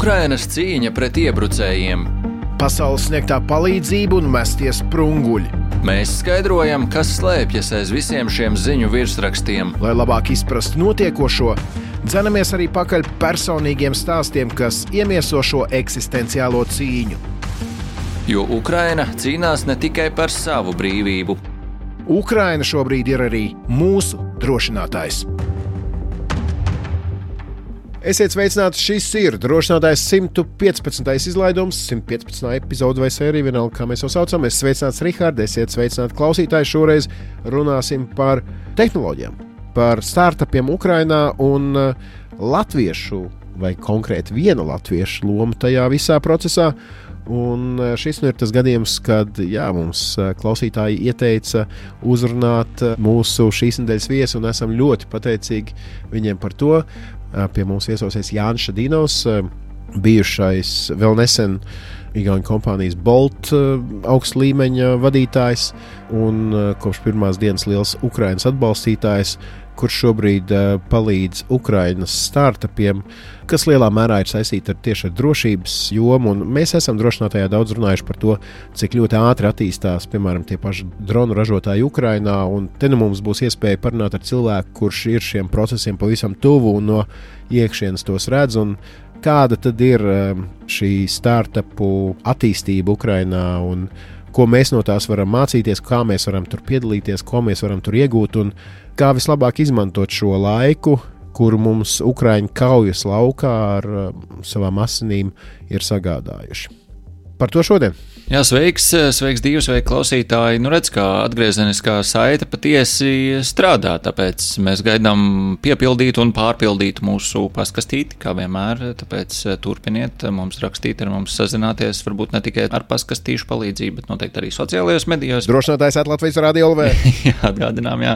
Ukrainas cīņa pret iebrucējiem. Pasaules sniegtā palīdzība un mestie sprunguļi. Mēs skaidrojam, kas slēpjas aiz visiem šiem ziņu virsrakstiem. Lai labāk izprastu notiekošo, dzenamies arī pakaļ personīgiem stāstiem, kas iemieso šo eksistenciālo cīņu. Jo Ukraina cīnās ne tikai par savu brīvību. Ukraina šobrīd ir arī mūsu drošinātājs. Esiet sveicināti, šis ir drošinātājs 115. izlaidums, 115. epizode vai sērija, vienalga, kā mēs jau saucam. Es sveicināts Rihards, esiet sveicināti klausītāji. Šoreiz runāsim par tehnoloģijām, par startupiem Ukrainā un latviešu, vai konkrēti viena latviešu loma tajā visā procesā. Un šis ir tas gadījums, kad mums klausītāji ieteica uzrunāt mūsu šīs nedēļas viesu, un esam ļoti pateicīgi viņiem par to. Pie mums viesosies Jānis Šadinovs, bijušais vēl nesen Igauņu kompānijas Bolt augsta līmeņa vadītājs un kopš pirmās dienas liels Ukrainas atbalstītājs, kurš šobrīd palīdz Ukrainas startupiem, kas lielā mērā ir saistīti tieši ar drošības jomu. Un mēs esam drošinātājā daudz runājuši par to, cik ļoti ātri attīstās, piemēram, tie paši dronu ražotāji Ukrainā. Un te nu mums būs iespēja parunāt ar cilvēku, kurš ir šiem procesiem pavisam tuvu un no iekšienes tos redz. Un kāda tad ir šī startupu attīstība Ukrainā un ko mēs no tās varam mācīties, kā mēs varam tur piedalīties, ko mēs varam tur iegūt un kā vislabāk izmantot šo laiku, kuru mums Ukraiņu kaujas laukā ar savām asinīm ir sagādājuši. Par to šodien. Jā, sveiks Dīvi, sveiki klausītāji. Redz, kā atgriezeniskā saite patiesi strādā, tāpēc mēs gaidām piepildīt un pārpildīt mūsu paskastīti, kā vienmēr, tāpēc turpiniet mums rakstīt, ar mums sazināties, varbūt ne tikai ar paskastīšu palīdzību, bet noteikti arī sociālajos medijos. Drošinātājs @Latvijas Radio LV. Jā, atgādinām,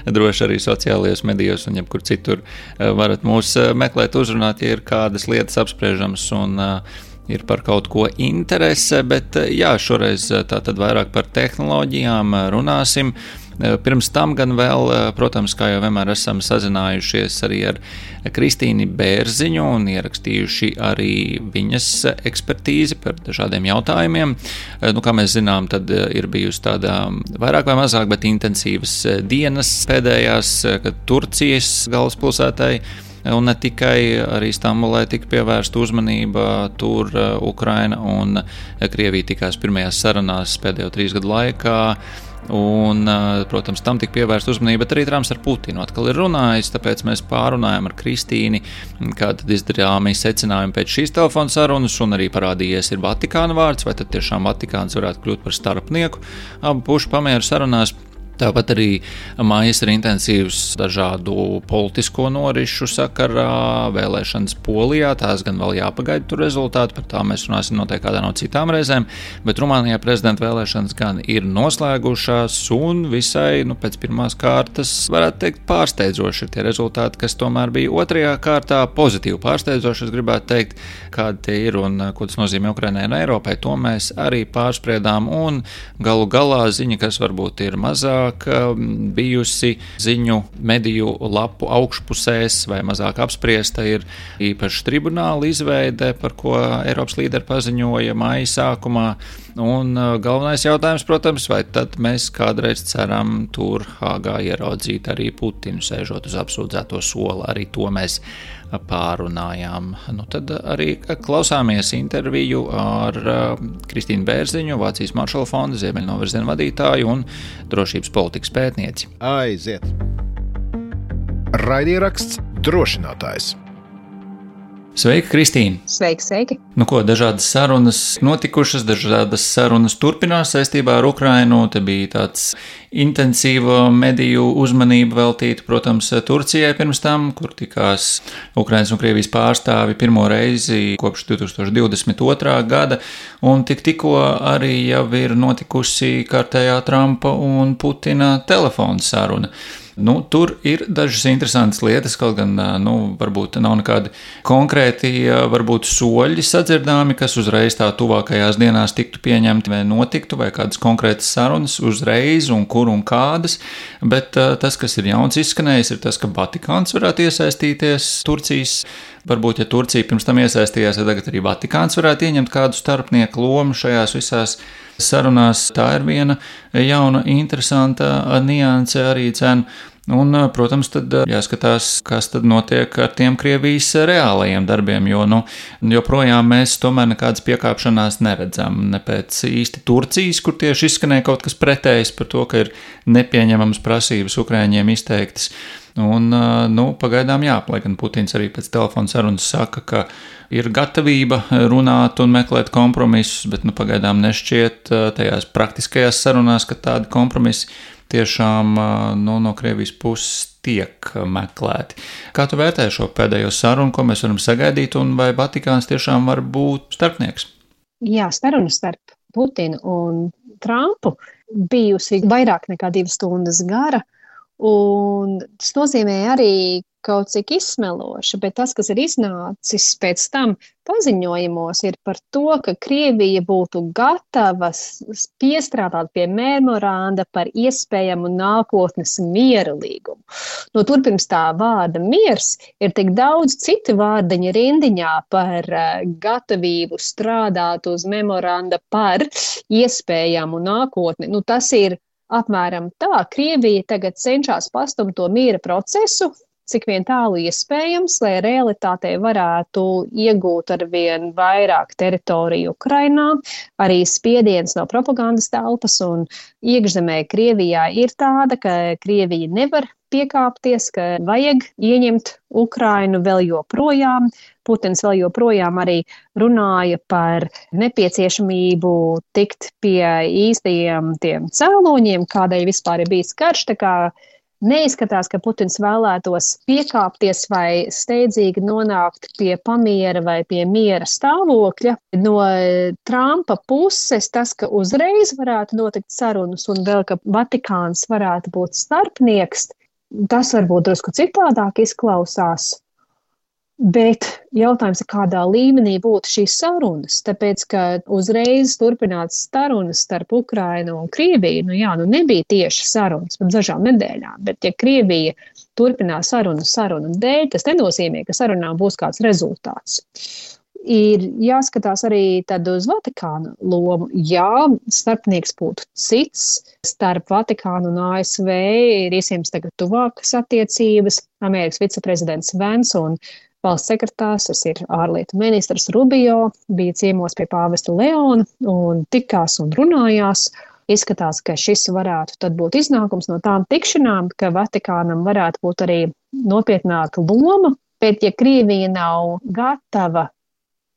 droši arī sociālajos medijos un jebkur citur varat mūs meklēt, uzrunāt, ja ir kādas lietas apspriežamas un ir par kaut ko interese, bet šoreiz tātad vairāk par tehnoloģijām runāsim. Pirms tam gan vēl, protams, kā jau vienmēr esam sazinājušies arī ar Kristīni Bērziņu un ierakstījuši arī viņas ekspertīzi par dažādiem jautājumiem. Kā mēs zinām, tad ir bijusi tāda vairāk vai mazāk, bet intensīvas dienas pēdējās, kad Turcijas galvaspilsētai un ne tikai arī Stambulai tika pievērsta uzmanība, tur Ukraina un Krievija tikās pirmajās sarunās pēdējo 3 gadu laikā. Un, protams, tam tika pievērsta uzmanība, bet arī Trumps ar Putinu atkal ir runājis, tāpēc mēs pārunājam ar Kristīni, kāda izdarāmi secinājumi pēc šīs telefona sarunas, un arī parādījies ir Vatikāna vārds, vai tad tiešām Vatikāns varētu kļūt par starpnieku abu pušu pamieru sarunās. Tāpat arī mājas ir intensīvs dažādu politisko norišu sakarā, vēlēšanas Polijā, tās gan vēl jāpagaida tur rezultāti, par tā mēs runāsim noteikti kādā no citām reizēm, bet Rumānijā prezidenta vēlēšanas gan ir noslēgušās un visai, pēc pirmās kārtas, varētu teikt, pārsteidzoši ir tie rezultāti, kas tomēr bija otrajā kārtā, pozitīvi pārsteidzoši, es gribētu teikt, kādi tie ir un ko tas nozīmē Ukrainai un Eiropai, to mēs arī pārspriedām un galu galā ziņa, kas varbūt ir mazāk bijusi ziņu mediju lapu augšpusēs vai mazāk apspriesta, ir īpaši tribunāla izveide, par ko Eiropas līderi paziņoja māja sākumā. Un galvenais jautājums, protams, vai tad mēs kādreiz ceram tur Hāgā ieraudzīt arī Putinu sēžot uz apsūdzēto sola, arī to mēs pārunājām. Tad arī klausāmies interviju ar Kristīnu Bērziņu, Vācijas Maršala fonda Ziemeļnovirziena vadītāju un drošības politikas pētnieci. Aiziet! Raidieraksts drošinātājs. Sveika, Kristīne! Sveiki! Dažādas sarunas notikušas, dažādas sarunas turpinās saistībā ar Ukrainu. Te bija tāds intensīva mediju uzmanība veltīta, protams, Turcijai pirms tam, kur tikās Ukrainas un Krievijas pārstāvi pirmo reizi kopš 2022. gada, un tikko arī jau ir notikusi kārtējā Trumpa un Putina telefona saruna. Tur ir dažas interesantas lietas, kaut gan varbūt nav nekādi konkrēti varbūt soļi sadzirdāmi, kas uzreiz tā tuvākajās dienās tiktu pieņemti vai notiktu, vai kādas konkrētas sarunas uzreiz un kur un kādas, bet tas, kas ir jauns izskanējis, ir tas, ka Vatikāns varētu iesaistīties Turcijas varbūt, ja Turcija pirms tam iesaistījās, ja tagad arī Vatikāns varētu ieņemt kādu starpnieku lomu šajās visās sarunās. Tā ir viena jauna, interesanta nianse arī cena. Un, protams, tad jāskatās, kas tad notiek ar tiem Krievijas reālajiem darbiem, jo joprojām mēs tomēr nekādas piekāpšanās neredzam. Ne pēc īsti Turcijas, kur tieši izskanēja kaut kas pretējs par to, ka ir nepieņemamas prasības Ukraiņiem izteiktas. Un, pagaidām jā, lai gan Putins arī pēc telefona sarunas saka, ka ir gatavība runāt un meklēt kompromisus, bet pagaidām nešķiet tajās praktiskajās sarunās, ka tādi kompromisi tiešām no Krievijas puses tiek meklēti. Kā tu vērtē šo pēdējo sarunu, ko mēs varam sagaidīt, un vai Vatikāns tiešām var būt starpnieks? Jā, saruna starp Putinu un Trumpu bijusi vairāk nekā 2 stundas gara, un tas nozīmē arī kaut cik izsmeloši, bet tas, kas ir iznācis pēc tam paziņojumos, ir par to, ka Krievija būtu gatava piestrādāt pie memoranda par iespējamu nākotnes miera līgumu. Tur pirms tā vārda miers ir tik daudz citu vārdiņu rindiņā par gatavību strādāt uz memoranda par iespējamu nākotni. Tas ir apmēram tā. Krievija tagad cenšas pastumt to miera procesu, cik vien tālu iespējams, lai realitātei varētu iegūt arvien vairāk teritoriju Ukrainā. Arī spiediens no propagandas telpas un iekšzemē Krievijā ir tāda, ka Krievija nevar piekāpties, ka vajag ieņemt Ukrainu vēl joprojām. Putins vēl joprojām arī runāja par nepieciešamību tikt pie īstajiem tiem cēloņiem, kādēļ vispār ir bijis karš, tā kā neizskatās, ka Putins vēlētos piekāpties vai steidzīgi nonākt pie pamiera vai pie miera stāvokļa. No Trumpa puses tas, ka uzreiz varētu notikt sarunas un vēl, ka Vatikāns varētu būt starpnieks, tas varbūt drusku citādāk izklausās. Bet jautājums ir, kādā līmenī būtu šīs sarunas, tāpēc, ka uzreiz turpināt sarunas starp Ukrainu un Krieviju, nebija tieši sarunas pat dažām nedēļām, bet ja Krievija turpinās sarunu dēļ, tas nenozīmē, ka sarunām būs kāds rezultāts. Ir jāskatās arī tad uz Vatikāna lomu. Jā, starpnieks būtu cits, starp Vatikānu un ASV ir iespējams tagad tuvākas attiecības. Amerikas viceprezidents Vence un valsts sekretārs, tas ir ārlietu ministrs Rubio, bija ciemos pie pāvesta Leona un tikās un runājās. Izskatās, ka šis varētu tad būt iznākums no tām tikšanām, ka Vatikānam varētu būt arī nopietnāka loma, bet ja Krievija nav gatava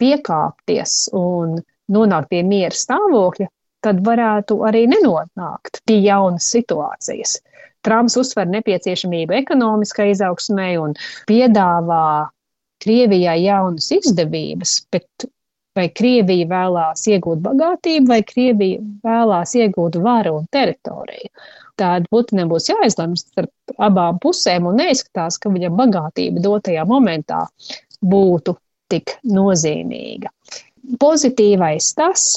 piekāpties un nonākt pie miera stāvokļa, tad varētu arī nenonākt pie jaunas situācijas. Trumps uzsver nepieciešamību ekonomiskai izaugsmai un piedāvā Krievijai jaunas izdevības, bet vai Krievija vēlās iegūt bagātību, vai Krievija vēlās iegūt varu un teritoriju. Tāda Putinam būs jāizlemj starp abām pusēm un neizskatās, ka viņa bagātība dotajā momentā būtu tik nozīmīga. Pozitīvais tas,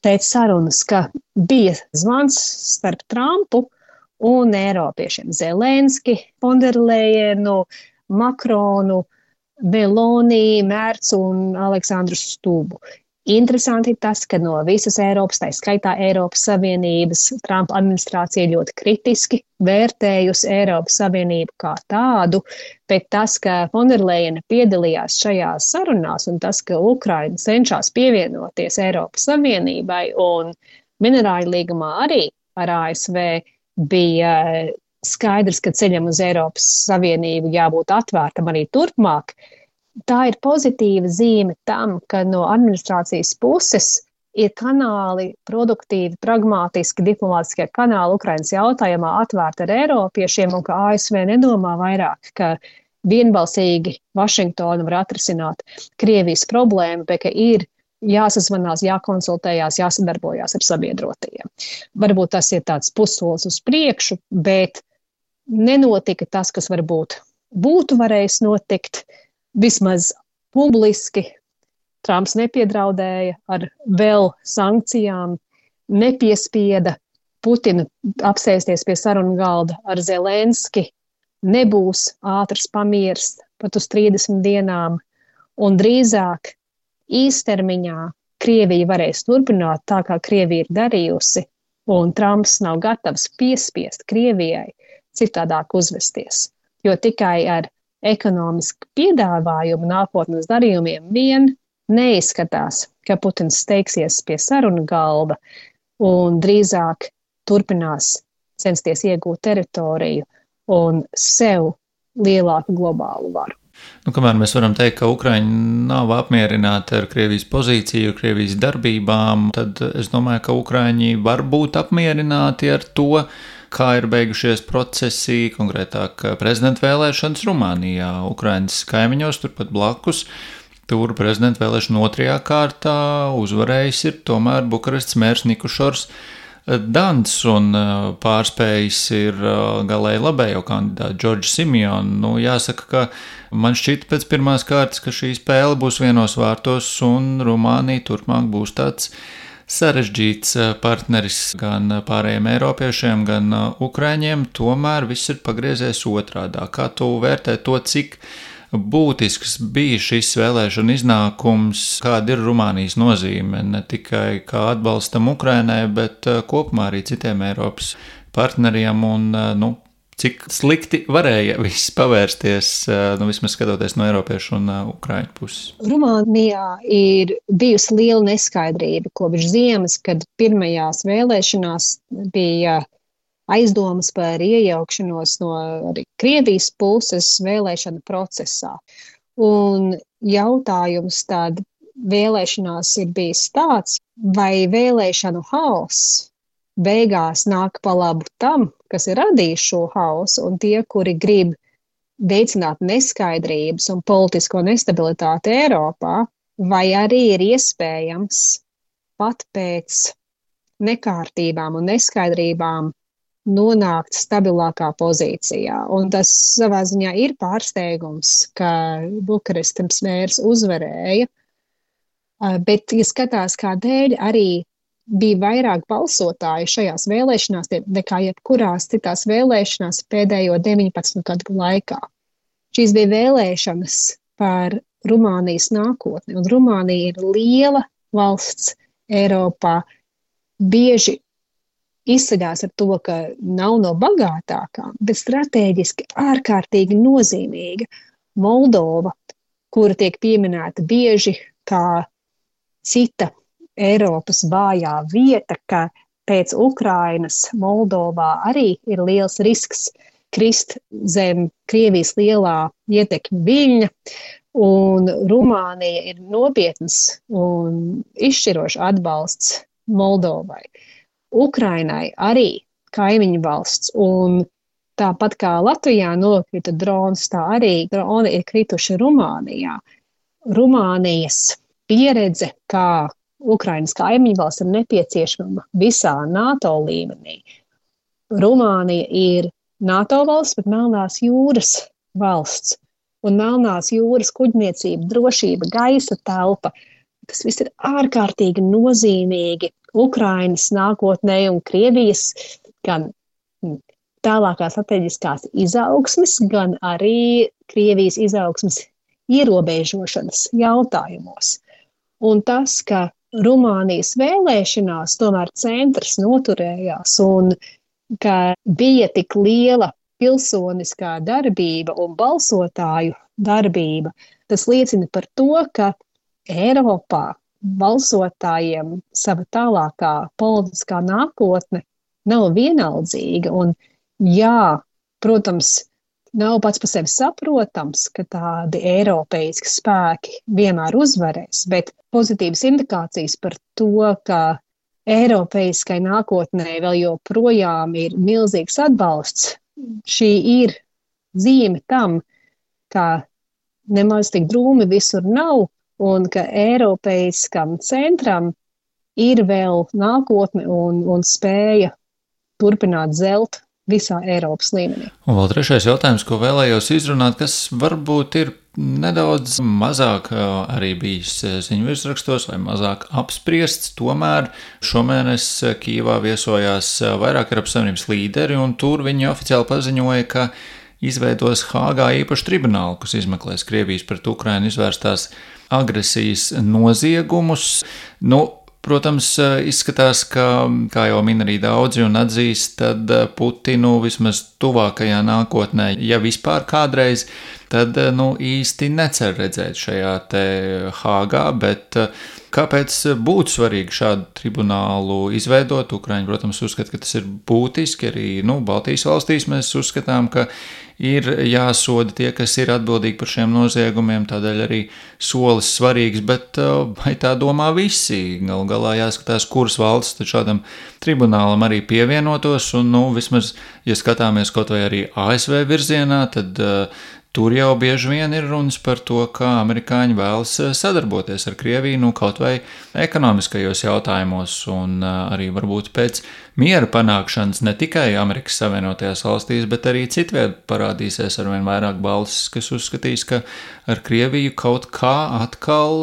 pēc sarunas, ka bija zvans starp Trumpu un Eiropiešiem Zelenski, Fonderlejenu, Makronu, Meloni, Mērts un Aleksandru Stubu. Interesanti tas, ka no visas Eiropas, tā skaitā Eiropas Savienības, Trumpa administrācija ļoti kritiski vērtējusi Eiropas Savienību kā tādu, bet tas, ka Fonderlejena piedalījās šajās sarunās un tas, ka Ukraina cenšas pievienoties Eiropas Savienībai un minerāļu līgumā arī ar ASV, bija skaidrs, ka ceļam uz Eiropas Savienību jābūt atvērtam arī turpmāk. Tā ir pozitīva zīme tam, ka no administrācijas puses ir kanāli produktīvi, pragmātiski, diplomātiskie kanāli Ukrainas jautājumā atvērti ar eiropiešiem un ka ASV nedomā vairāk, ka vienbalsīgi Vašingtona var atrisināt Krievijas problēmu, bet ka ir jāsazvanās, jākonsultējās, jāsadarbojās ar sabiedrotajiem. Varbūt tas ir tāds pussolis uz priekšu, bet nenotika tas, kas varbūt būtu varējis notikt, vismaz publiski. Trumps nepiedraudēja ar vēl sankcijām, nepiespieda Putinu apsēsties pie sarunu galda ar Zelenski, nebūs ātrs pamiers pat uz 30 dienām, un drīzāk īstermiņā Krievija varēs turpināt tā, kā Krievija ir darījusi, un Trumps nav gatavs piespiest Krievijai citādāk uzvesties, jo tikai ar ekonomisku piedāvājumu nākotnes darījumiem vien neizskatās, ka Putins steigsies pie sarunu galda un drīzāk turpinās censties iegūt teritoriju un sev lielāku globālu varu. Kamēr mēs varam teikt, ka Ukraiņi nav apmierināti ar Krievijas pozīciju, Krievijas darbībām, tad es domāju, ka Ukraiņi var būt apmierināti ar to, kā ir beigušies procesi, konkrētāk prezidenta vēlēšanas Rumānijā, Ukrainas kaimiņos, turpat blakus. Tur prezidenta vēlēšana 2. kārtā uzvarējis ir tomēr Bukarestas mērs Nikušors Dans un pārspējis ir galēji labējo kandidātu Džordžu Simionu. Jāsaka, ka man šķita pēc pirmās kārtas, ka šī spēle būs vienos vārtos un Rumānija turpmāk būs tāds sarežģīts partneris gan pārējiem eiropiešiem, gan ukraiņiem. Tomēr viss ir pagriezies otrādā. Kā tu vērtē to, cik būtisks bija šis vēlēšana iznākums, kāda ir Rumānijas nozīme ne tikai kā atbalstam Ukrainai, bet kopumā arī citiem Eiropas partneriem un cik slikti varēja viss pavērsties, vismaz skatoties no eiropiešu un ukraiņu puses? Rumānijā ir bijusi liela neskaidrība kopš ziemas, kad pirmajās vēlēšanās bija aizdomas par iejaukšanos no arī Krievijas puses vēlēšana procesā. Un jautājums tad vēlēšanās ir bijis tāds, vai vēlēšanu haoss beigās nāk pa labu tam, kas ir radījis šo haosu, un tie, kuri grib veicināt neskaidrības un politisko nestabilitāti Eiropā, vai arī ir iespējams pat pēc nekārtībām un neskaidrībām nonākt stabilākā pozīcijā. Un tas savā ziņā ir pārsteigums, ka Bukarestas mērs uzvarēja, bet, ja skatās, kādēļ arī bija vairāk balsotāju šajās vēlēšanās nekā jebkurās citās vēlēšanās pēdējo 19 gadu laikā. Šīs bija vēlēšanas par Rumānijas nākotni, un Rumānija ir liela valsts Eiropā, bieži izceļās ar to, ka nav no bagātākām, bet strateģiski ārkārtīgi nozīmīga. Moldova, kura tiek pieminēta bieži kā cita Eiropas vājā vieta, ka pēc Ukrainas Moldovā arī ir liels risks krist zem Krievijas lielā ietekņa viļņa, un Rumānija ir nopietns un izšķirošs atbalsts Moldovai. Ukrainai arī kaimiņu valsts, un tāpat kā Latvijā nokrita drons, tā arī droni ir krituši Rumānijā. Rumānijas pieredze, kā Ukrainas kaimiņu valsts, ir nepieciešama visā NATO līmenī. Rumānija ir NATO valsts, bet Melnās jūras valsts, un Melnās jūras kuģniecība, drošība, gaisa telpa. Tas viss ir ārkārtīgi nozīmīgi Ukrainas nākotnē un Krievijas gan tālākās strateģiskās izaugsmes, gan arī Krievijas izaugsmes ierobežošanas jautājumos. Un tas, ka Rumānijas vēlēšanās tomēr centrs noturējās un ka bija tik liela pilsoniskā darbība un balsotāju darbība, tas liecina par to, ka Eiropā balsotājiem sava tālākā politiskā nākotne nav vienaldzīga. Un jā, protams, nav pats par sevi saprotams, ka tādi eiropeiski spēki vienmēr uzvarēs, bet pozitīvas indikācijas par to, ka eiropeiskai nākotnē vēl joprojām ir milzīgs atbalsts, šī ir zīme tam, ka nemaz tik drūmi visur nav, un ka eiropeiskam centram ir vēl nākotne un spēja turpināt zelt visā Eiropas līmenī. Un vēl trešais jautājums, ko vēlējos izrunāt, kas varbūt ir nedaudz mazāk arī bijis ziņu virsrakstos vai mazāk apspriests, tomēr šomēnes Kijevā viesojās vairāk Eiropas Savienības līderi, un tur viņi oficiāli paziņoja, ka izveidos Hāgā īpašu tribunālu, kas izmeklēs Krievijas pret Ukrainu izvērstās agresijas noziegumus. Protams, izskatās, ka, kā jau min arī daudzi un atzīst, tad Putinu vismaz tuvākajā nākotnē, ja vispār kādreiz, tad īsti necer redzēt šajā te Hāgā, bet kāpēc būtu svarīgi šādu tribunālu izveidot? Ukraiņi, protams, uzskata, ka tas ir būtiski, arī Baltijas valstīs mēs uzskatām, ka ir jāsoda tie, kas ir atbildīgi par šiem noziegumiem, tādēļ arī solis svarīgs, bet vai tā domā visi? Galu galā jāskatās, kuras valsts šādam tribunālam arī pievienotos, un vismaz, ja skatāmies kaut vai arī ASV virzienā, tad tur jau bieži vien ir runas par to, kā amerikāņi vēlas sadarboties ar Krieviju, kaut vai ekonomiskajos jautājumos, un arī varbūt pēc miera panākšanas ne tikai Amerikas Savienotajās valstīs, bet arī citviet parādīsies arvien vairāk balsis, kas uzskatīs, ka ar Krieviju kaut kā atkal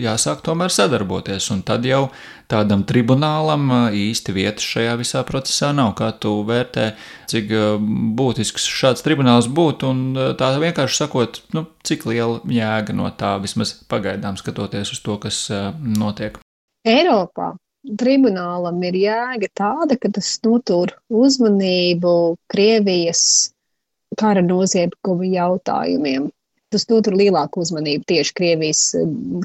jāsāk tomēr sadarboties, un tad jau tādam tribunālam īsti vietas šajā visā procesā nav. Kā tu vērtē, cik būtisks šāds tribunāls būtu, un tā vienkārši sakot, cik liela jēga no tā vismaz pagaidām skatoties uz to, kas notiek? Eiropā tribunālam ir jēga tāda, ka tas notur uzmanību Krievijas kara noziegumu jautājumiem. Tas notur lielāku uzmanību tieši Krievijas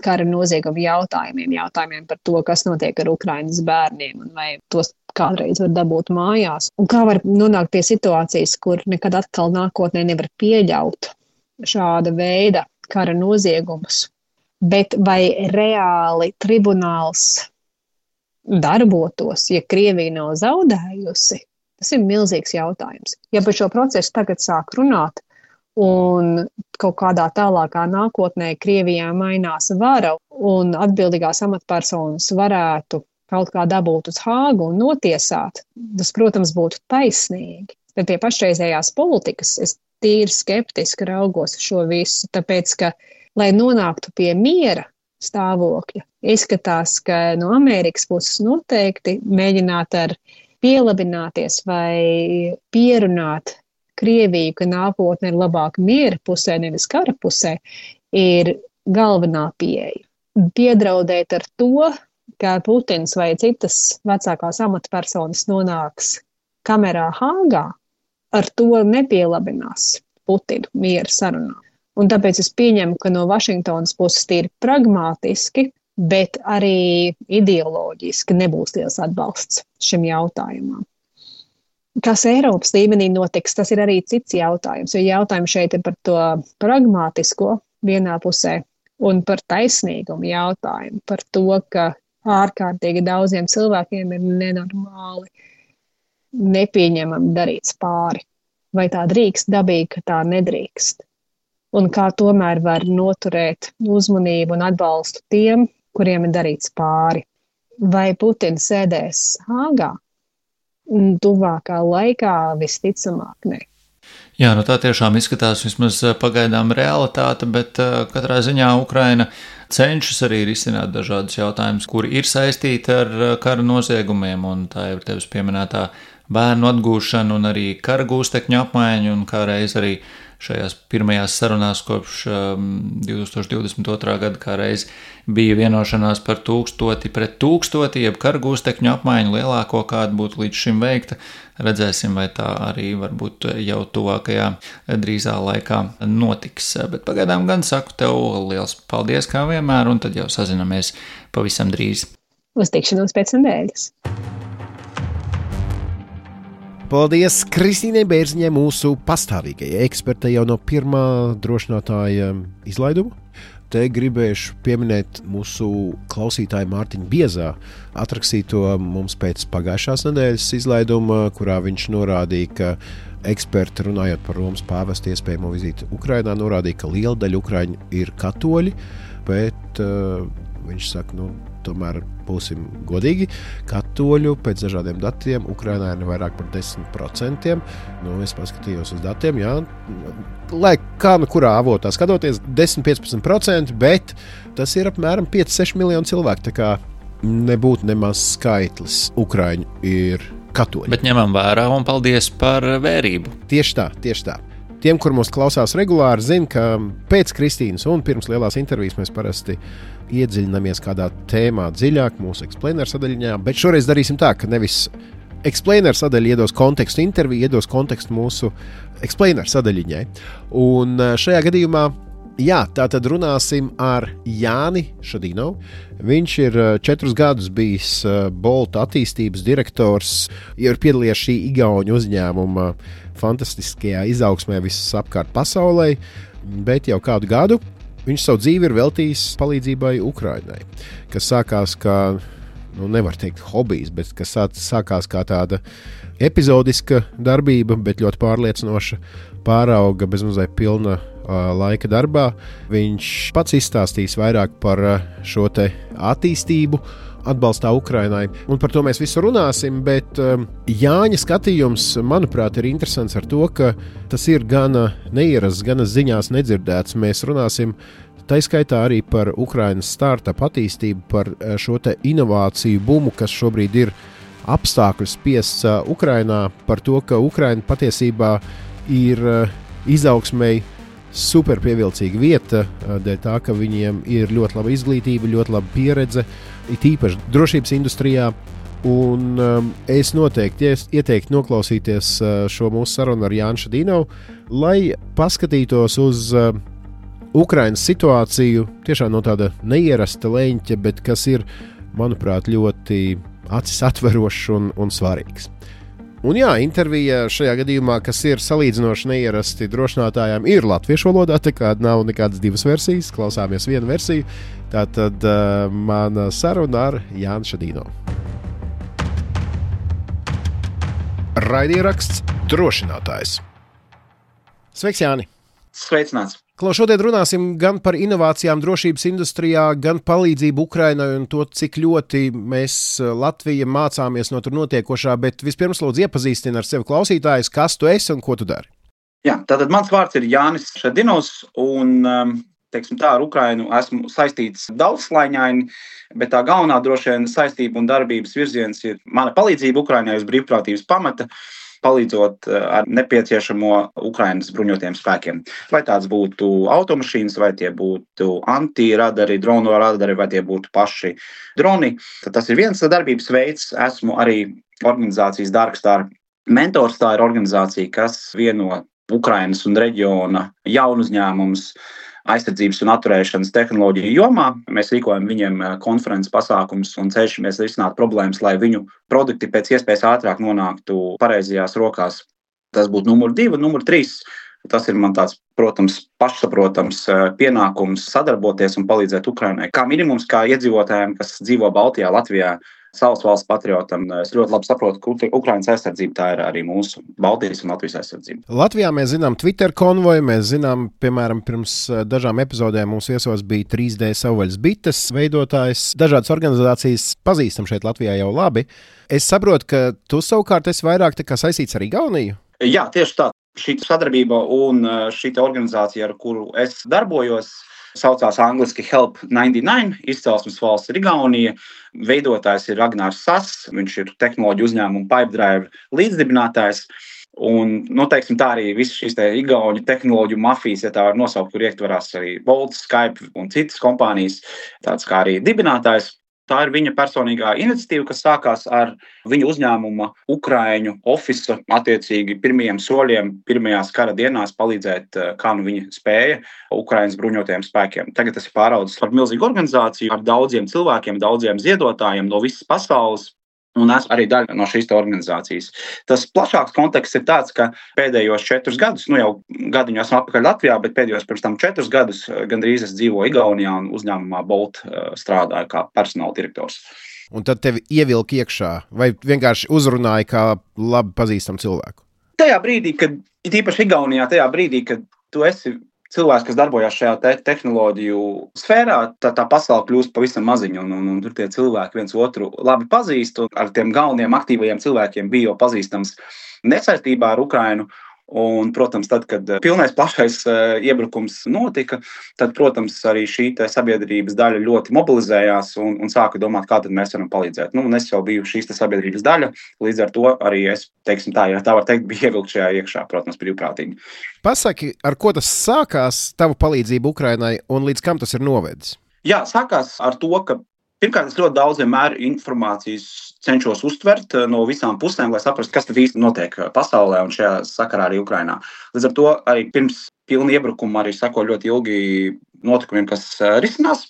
kara noziegumu jautājumiem par to, kas notiek ar Ukrainas bērniem un vai tos kādreiz var dabūt mājās. Un kā var nonākt pie situācijas, kur nekad atkal nākotnē nevar pieļaut šāda veida kara noziegumus. Bet vai reāli tribunāls darbotos, ja Krievija nav zaudējusi? Tas ir milzīgs jautājums. Ja par šo procesu tagad sāk runāt, un kaut kādā tālākā nākotnē Krievijā mainās vara un atbildīgās amatpersonas varētu kaut kā dabūt uz Hāgu un notiesāt, tas, protams, būtu taisnīgi. Bet pie pašreizējās politikas es tīri skeptiski raugos šo visu, tāpēc, ka, lai nonāktu pie miera stāvokļa, izskatās, ka no Amerikas puses noteikti mēģināt ar pielabināties vai pierunāt Krieviju, ka nākotne ir labāka miera pusē, nevis kara pusē, ir galvenā pieeja. Piedraudēt ar to, ka Putins vai citas vecākās amatpersonas nonāks kamerā Hāgā, ar to nepielabinās Putinu miera sarunā. Un tāpēc es pieņemu, ka no Vašingtonas puses tīri pragmātiski, bet arī ideoloģiski nebūs liels atbalsts šim jautājumam. Kas Eiropas līmenī notiks, tas ir arī cits jautājums, jo jautājums šeit ir par to pragmātisko vienā pusē un par taisnīgumu jautājumu, par to, ka ārkārtīgi daudziem cilvēkiem ir nenormāli nepieņemami darīts pāri. Vai tā drīkst dabīgi, ka tā nedrīkst? Un kā tomēr var noturēt uzmanību un atbalstu tiem, kuriem ir darīts pāri? Vai Putins sēdēs Hāgā? Tuvākā laikā visticamāk ne. Jā, tā tiešām izskatās vismaz pagaidām realitāte, bet katrā ziņā Ukraina cenšas arī risināt dažādus jautājumus, kuri ir saistīti ar kara noziegumiem, un tā ir tevis pieminētā bērnu atgūšana un arī kara gūstekņu apmaiņa, un kā reiz arī šajās pirmajās sarunās kopš 2022. gada kā reiz bija vienošanās par 1000 pret 1000, jeb kara gūstekņu apmaiņu lielāko, kāda būtu līdz šim veikta. Redzēsim, vai tā arī varbūt jau tuvākajā drīzā laikā notiks. Bet pagaidām gan saku tev liels paldies kā vienmēr, un tad jau sazinamies pavisam drīz. Uz tikšanos pēc nedēļas. Paldies Kristīnai Bērziņai, mūsu pastāvīgajai ekspertei jau no pirmā drošinātāja izlaiduma. Te gribēšu pieminēt mūsu klausītāju Mārtiņu Biezā atrakstīto mums pēc pagājušās nedēļas izlaiduma, kurā viņš norādīja, ka eksperti runājot par Romas pāvesta iespējamo vizīti Ukrainā, norādīja, ka liela daļa ukraiņu ir katoļi, bet viņš saka, tomēr būsim godīgi, katoļu pēc dažādiem datiem Ukrainā ir vairāk par 10%. Es paskatījos uz datiem, jā, lai kā kurā avotā skatoties, 10-15%, bet tas ir apmēram 5-6 miljoni cilvēku, tā kā nebūtu nemaz skaitlis Ukraiņu ir katoļi. Bet ņemam vērā un paldies par vērību. Tieši tā. Tiem, kur mūs klausās regulāri, zina, ka pēc Kristīnas un pirms lielās intervijas mēs parasti iedziļinamies kādā tēmā dziļāk mūsu Explainer sadaļiņā, bet šoreiz darīsim tā, ka nevis Explainer sadaļa iedos kontekstu interviju, iedos kontekstu mūsu Explainer sadaļiņai. Un šajā gadījumā, tātad runāsim ar Jāni Šadinovu. Viņš ir 4 gadus bijis Bolt attīstības direktors, ir piedalījies šī igauņu uzņēmuma fantastiskajā izaugsmē visas apkārt pasaulē, bet jau kādu gadu viņš savu dzīvi ir veltījis palīdzībai Ukrainai, kas sākās kā, nevar teikt hobijs, bet kas sākās kā tāda epizodiska darbība, bet ļoti pārliecinoša, pārauga bezmazliet pilna laika darbā. Viņš pats izstāstīs vairāk par šo te attīstību atbalstā Ukrainai, un par to mēs visu runāsim, bet Jāņa skatījums, manuprāt, ir interesants ar to, ka tas ir gana neierasts, gana ziņās nedzirdēts. Mēs runāsim tā skaitā arī par Ukrainas startup attīstību, par šo te inovāciju bumu, kas šobrīd ir apstākļu spiests Ukrainā, par to, ka Ukraina patiesībā ir izaugsmei super pievilcīga vieta, dēļ tā, ka viņiem ir ļoti laba izglītība, ļoti laba pieredze, it īpaši drošības industrijā. Un es noteikti ieteiktu noklausīties šo mūsu sarunu ar Jānu Šadinovu, lai paskatītos uz Ukrainas situāciju tiešām no tāda neierasta leņķa, bet kas ir, manuprāt, ļoti acis atverošs un svarīgs. Un intervija šajā gadījumā, kas ir salīdzinoši neierasti drošinātājām, ir latviešu valodā, tā kā nav nekādas 2 versijas, klausāmies vienu versiju. Tātad mana saruna ar Jānu Šadinovu. Raidieraksts Drošinātājs. Sveiks, Jāni! Sveicināts! Šodien runāsim gan par inovācijām drošības industrijā, gan palīdzību Ukrainai un to, cik ļoti mēs Latvija mācāmies no tur notiekošā, bet vispirms lūdzu iepazīstini ar sevi klausītājus, kas tu esi un ko tu dari. Jā, tātad mans vārds ir Jānis Šadinovs un, teiksim tā, ar Ukrainu esmu saistīts daudzslāņaini, bet tā galvenā droši vien saistība un darbības virziens ir mana palīdzība Ukrainai uz brīvprātības pamata, palīdzot ar nepieciešamo Ukrainas bruņotajiem spēkiem. Vai tāds būtu automašīnas, vai tie būtu antiradari, dronu radari, vai tie būtu paši droni. Tad tas ir viens darbības veids. Esmu arī organizācijas Darkstar mentors. Tā ir organizācija, kas vieno Ukrainas un reģiona jaunu uzņēmumus aizsardzības un atturēšanas tehnoloģiju jomā. Mēs rīkojam viņiem konferences pasākumus un cenšamies risināt problēmas, lai viņu produkti pēc iespējas ātrāk nonāktu pareizajās rokās. Tas būtu numur 2, numur 3. Tas ir man tāds, protams, pašsaprotams pienākums sadarboties un palīdzēt Ukrainai. Kā minimums, kā iedzīvotājiem, kas dzīvo Baltijā, Latvijā, savas valsts patriotam. Es ļoti labi saprotu, ka Ukrainas aizsardzība tā ir arī mūsu Baltijas un Latvijas aizsardzība. Latvijā mēs zinām Twitter konvoju, mēs zinām, piemēram, pirms dažām epizodēm mums viesos bija 3D savvaļas bites veidotājs. Dažādas organizācijas pazīstam šeit Latvijā jau labi. Es saprotu, ka tu savukārt esi vairāk saistīts ar Igauniju? Jā, tieši tā. Šī sadarbība un šī organizācija, ar kuru es darbojos, saucās angliski Help 99, izcelsmes valsts ir Igaunija, veidotājs ir Ragnārs Sass, viņš ir tehnoloģiju uzņēmumu Pipedrive līdzdibinātājs, un, teiksim tā arī visas šīs igauņu tehnoloģiju mafijas, ja tā var nosaukt, kur ietverās arī Bolt, Skype un citas kompānijas, tāds kā arī dibinātājs. Tā ir viņa personīgā iniciatīva, kas sākās ar viņa uzņēmuma Ukraiņu ofisa attiecīgi pirmajiem soļiem, pirmajās kara dienās palīdzēt, kā viņa spēja Ukrainas bruņotajiem spēkiem. Tagad tas ir pāraudzis par milzīgu organizāciju ar daudziem cilvēkiem, daudziem ziedotājiem no visas pasaules. Un esmu arī daļa no šīs organizācijas. Tas plašāks konteksts ir tāds, ka pēdējos 4 gadus, jau gadiņu esmu atpakaļ Latvijā, bet pēdējos pirms tam 4 gadus gandrīz es dzīvoju Igaunijā un uzņēmumā Bolt strādāju kā personāla direktors. Un tad tevi ievilka iekšā vai vienkārši uzrunāja kā labi pazīstamu cilvēku? Tajā brīdī, kad, īpaši Igaunijā, tajā brīdī, kad tu esi cilvēks, kas darbojās šajā tehnoloģiju sfērā, tā pasaule kļūst pavisam maziņa, un tur tie cilvēki viens otru labi pazīst, un ar tiem galvenajiem aktīvajiem cilvēkiem bija jau pazīstams nesaistībā ar Ukrainu. Un, protams, tad, kad pilnais plašais iebrukums notika, tad, protams, arī šī sabiedrības daļa ļoti mobilizējās un sāka domāt, kā tad mēs varam palīdzēt. Nu, un es jau biju šīs sabiedrības daļa, līdz ar to arī es, teiksim tā, ja tā var teikt, biju ievilkt šajā iekšā, protams, brīvprātīgi. Pasaki, ar ko tas sākās, tava palīdzība Ukrainai, un līdz kam tas ir novedis? Jā, sākās ar to, ka pirmkārt, es ļoti daudz vienmēr informācijas cenšos uztvert no visām pusēm, lai saprastu, kas tad īsti notiek pasaulē un šajā sakarā arī Ukrainā. Līdz ar to arī pirms pilna iebrukuma arī sako ļoti ilgi notikumiem, kas risinās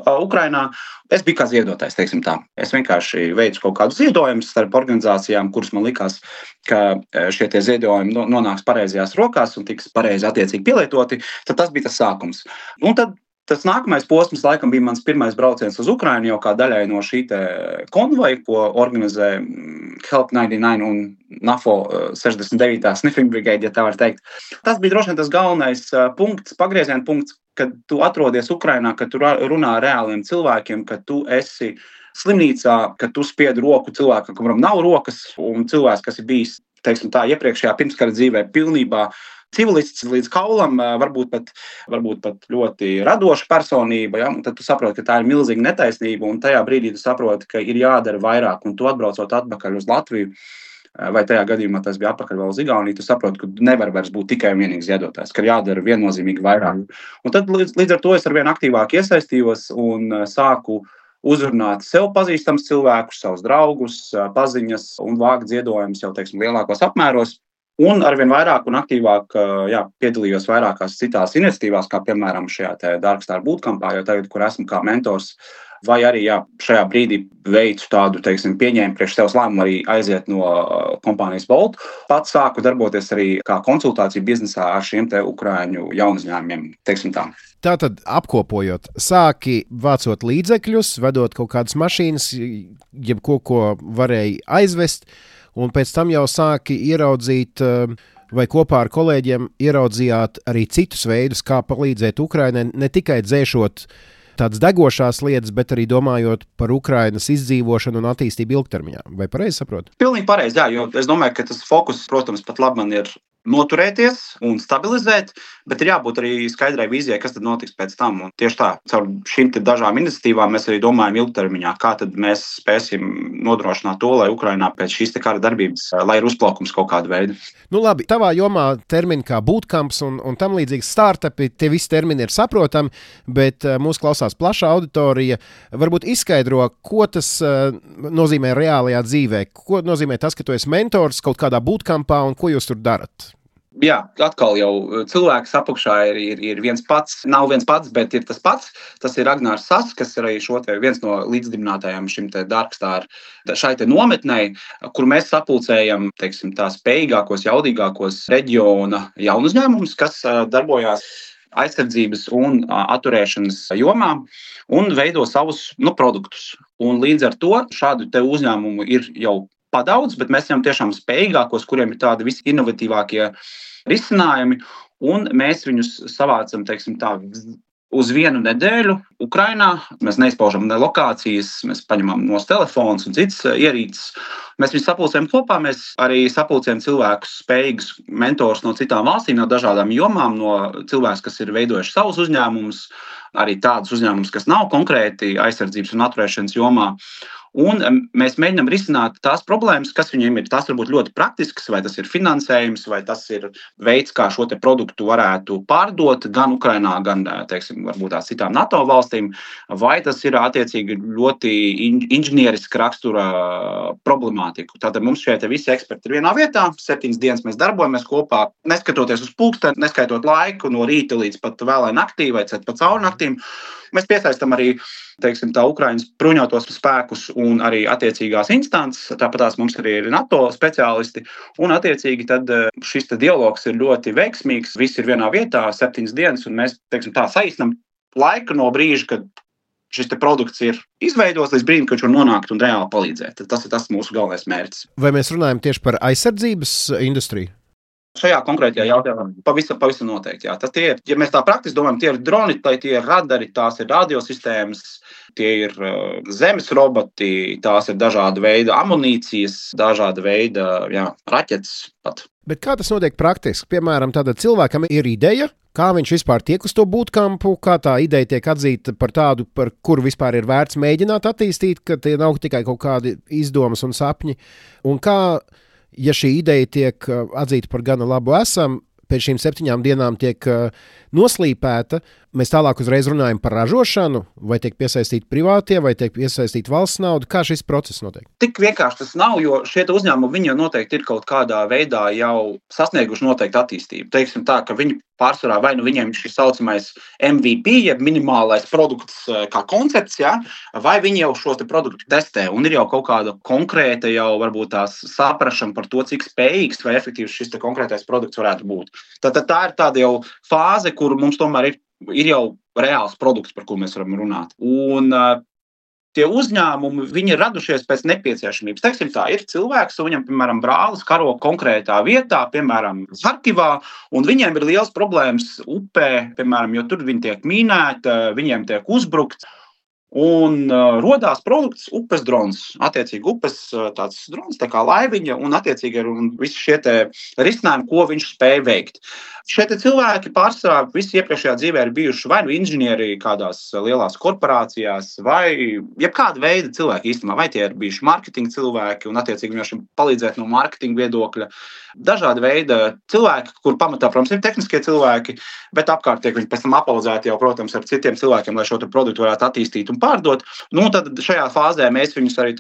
Ukrainā. Es biju kā ziedotājs, teiksim tā. Es vienkārši veicu kaut kādus ziedojumus starp organizācijām, kuras man likās, ka šie ziedojumi nonāks pareizajās rokās un tiks pareizi attiecīgi pielietoti. Tad tas bija tas sākums. Un tad tas nākamais posms, laikam, bija mans pirmais brauciens uz Ukrainu, jau kā daļai no šī konvoja, ko organizē Help 99 un NAFO 69. Sniffing Brigade, ja tā var teikt. Tas bija droši vien tas galvenais punkts, pagrieziena punkts, kad tu atrodies Ukrainā, kad tu runā ar reāliem cilvēkiem, kad tu esi slimnīcā, kad tu spied roku cilvēkam, kuram nav rokas, un cilvēks, kas ir bijis, teiksim tā, iepriekšējā pirmskara dzīvē pilnībā civilists līdz kaulam, varbūt pat ļoti radoša personība, ja? Un tad tu saproti, ka tā ir milzīga netaisnība, un tajā brīdī tu saproti, ka ir jādara vairāk, un tu atbraucot atpakaļ uz Latviju, vai tajā gadījumā tas bija atpakaļ vēl uz Igauniju, tu saproti, ka nevar vairs būt tikai un vienīgi ziedotājs, ka ir jādara viennozīmīgi vairāk. Un tad līdz ar to es arvien aktīvāk iesaistījos un sāku uzrunāt sev pazīstams cilvēkus, savus draugus, paziņas un vākt ziedojumus jau, teiksim, lielākos apmēros. Un arvien vairāk un aktīvāk piedalījos vairākās citās iniciatīvās, kā piemēram šajā Dark Star bootcampā, jo tagad, kur esmu kā mentors, vai arī šajā brīdī veicu tādu, teiksim, pieņēmu priekš sevis lēmumu arī aiziet no kompānijas Bolt. Pats sāku darboties arī kā konsultāciju biznesā ar šiem Ukraiņu jaunuzņēmumiem, teiksim tā. Tātad, apkopojot, sāki vācot līdzekļus, vedot kaut kādas mašīnas, jebko, ko varēja aizvest, un pēc tam jau sāki ieraudzīt, vai kopā ar kolēģiem ieraudzījāt arī citus veidus, kā palīdzēt Ukrainai, ne tikai dzēšot tādas degošās lietas, bet arī domājot par Ukrainas izdzīvošanu un attīstību ilgtermiņā. Vai pareizi saprotu? Pilnīgi pareizi, jā, jo es domāju, ka tas fokus, protams, pat labi man ir noturēties un stabilizēt, bet ir jābūt arī skaidrai vīzijai, kas tad notiks pēc tam. Un tieši tā, caur šīm dažām iniciatīvām mēs arī domājam ilgtermiņā, kā tad mēs spēsim nodrošināt to, lai Ukrainā pēc šīs kara darbības, lai ir uzplaukums kaut kādu veidu. Nu labi, tavā jomā termini kā bootcamps un tam līdzīgs startupi, tie visi termini ir saprotami, bet mūs klausās plaša auditorija. Varbūt izskaidro, ko tas nozīmē reālajā dzīvē, ko nozīmē tas, ka tu esi mentors kaut kādā bootcampā un ko jūs tur darat? Jā, atkal jau cilvēks apakšā ir viens pats, nav viens pats, bet ir tas pats. Tas ir Agnārs Sas, kas ir arī viens no līdzdibinātājiem šim Dark Star šai nometnei, kur mēs sapulcējam, teiksim, tās spējīgākos, jaudīgākos reģiona jaunuzņēmumus, kas darbojās aizsardzības un atturēšanas jomā un veido savus produktus. Un līdz ar to šādu uzņēmumu ir jau padaudz, bet mēs esam tiešām spējīgākos, kuriem ir tādi visi inovatīvākie risinājumi, un mēs viņus savācam, teiksim tā, uz vienu nedēļu Ukrainā. Mēs neizpaužam ne lokācijas, mēs paņemam no telefons un citas ierīces. Mēs viņus sapulcējam kopā, mēs arī sapulcējam cilvēkus, spējīgus mentors no citām valstīm, no dažādām jomām, no cilvēkus, kas ir veidojuši savus uzņēmumus, arī tādus uzņēmumus, kas nav konkrēti aizsardzības un atturēšanas jomā. Un mēs mēģinām risināt tās problēmas, kas viņiem ir. Tas var būt ļoti praktisks, vai tas ir finansējums, vai tas ir veids, kā šo produktu varētu pārdot gan Ukrainā, gan, teiksim, varbūt tās citām NATO valstīm, vai tas ir attiecīgi ļoti inženieriska rakstura problemātika. Tātad mums šie visi eksperti ir vienā vietā, 7 dienas mēs darbojamies kopā, neskatoties uz pulksteni, neskaitot laiku no rīta līdz pat vēlai naktī vai pat cauri naktīm. Mēs piesaistam arī, teiksim, tā Ukrainas bruņotos spēkus un arī attiecīgās instances. Tāpat mums arī ir NATO speciālisti. Un attiecīgi tad šis dialogs ir ļoti veiksmīgs. Visi ir vienā vietā, 7 dienas, un mēs, teiksim, tā saīsinām laiku no brīža, kad šis produkts ir izveidots līdz brīdim, kad viņš var nonākt un reāli palīdzēt. Tas ir tas mūsu galvenais mērķis. Vai mēs runājam tieši par aizsardzības industriju? Šajā konkrētajā jautājumā pavisam noteikti. Jā. Tas tie ir, ja mēs tā praktiski domājam, tie ir droni, tie ir radari, tās ir radiosistēmas, tie ir zemes roboti, tās ir dažāda veida amunīcijas, dažāda veida raķetes pat. Bet kā tas notiek praktiski? Piemēram, tāda cilvēkam ir ideja, kā viņš vispār tiek uz to bootcampu, kā tā ideja tiek atzīta par tādu, par kuru vispār ir vērts mēģināt attīstīt, ka tie nav tikai kaut kādi izdomas un sapņi. Un kā, ja šī ideja tiek atzīta par gana labu esam, pēc šīm 7 dienām tiek noslīpēta, mēs tālāk uzreiz runājam par ražošanu, vai tiek piesaistīti privātie, vai tiek piesaistīta valsts nauda. Kā šis process notiek? Tik vienkārši tas nav, jo šie uzņēmumi viņi jau noteikti ir kaut kādā veidā jau sasnieguši noteikti attīstību. Teiksim tā, ka viņi pārsvarā vai nu viņiem ir šis saucamais MVP, jeb minimālais produkts kā koncepts, vai viņi jau šos produktus testē un ir jau kaut kāda konkrēta jau varbūt tās saprašana par to, cik spējīgs vai efektīvs šis konkrētais produkts varētu būt. Tātad tā ir tāda jau fāze, kur mums tomēr ir jau reāls produkts, par ko mēs varam runāt. Un tie uzņēmumi, viņi ir radušies pēc nepieciešamības. Teiksim tā, ir cilvēks, un viņam, piemēram, brālis karo konkrētā vietā, piemēram, Harkivā, un viņiem ir liels problēmas upē, piemēram, jo tur viņi tiek mīnēti, viņiem tiek uzbrukts. Un rodās produkts upes drons. Attiecīgi upes tāds drons, tā kā laiviņa, un attiecīgi ir visi šie risinājumi, ko viņš spēja veikt. Šie cilvēki pārsvarā visi iepriekšējā dzīvē ir bijuši vai nu inženieri kādās lielās korporācijās, vai jebkāda veida cilvēki īstenībā, vai tie ir bijuši marketinga cilvēki, un attiecīgi viņiem palīdzēt no marketinga viedokļa. Dažādi veidi cilvēki, kur pamatā, protams, ir tehniskie cilvēki, bet apkārt tiek viņi pēc tam apaudzēti jau, protams, ar citiem cilvēkiem, lai šo produktu varētu attīstīt un pārdot. Nu, tad šajā fāzē mēs viņus arī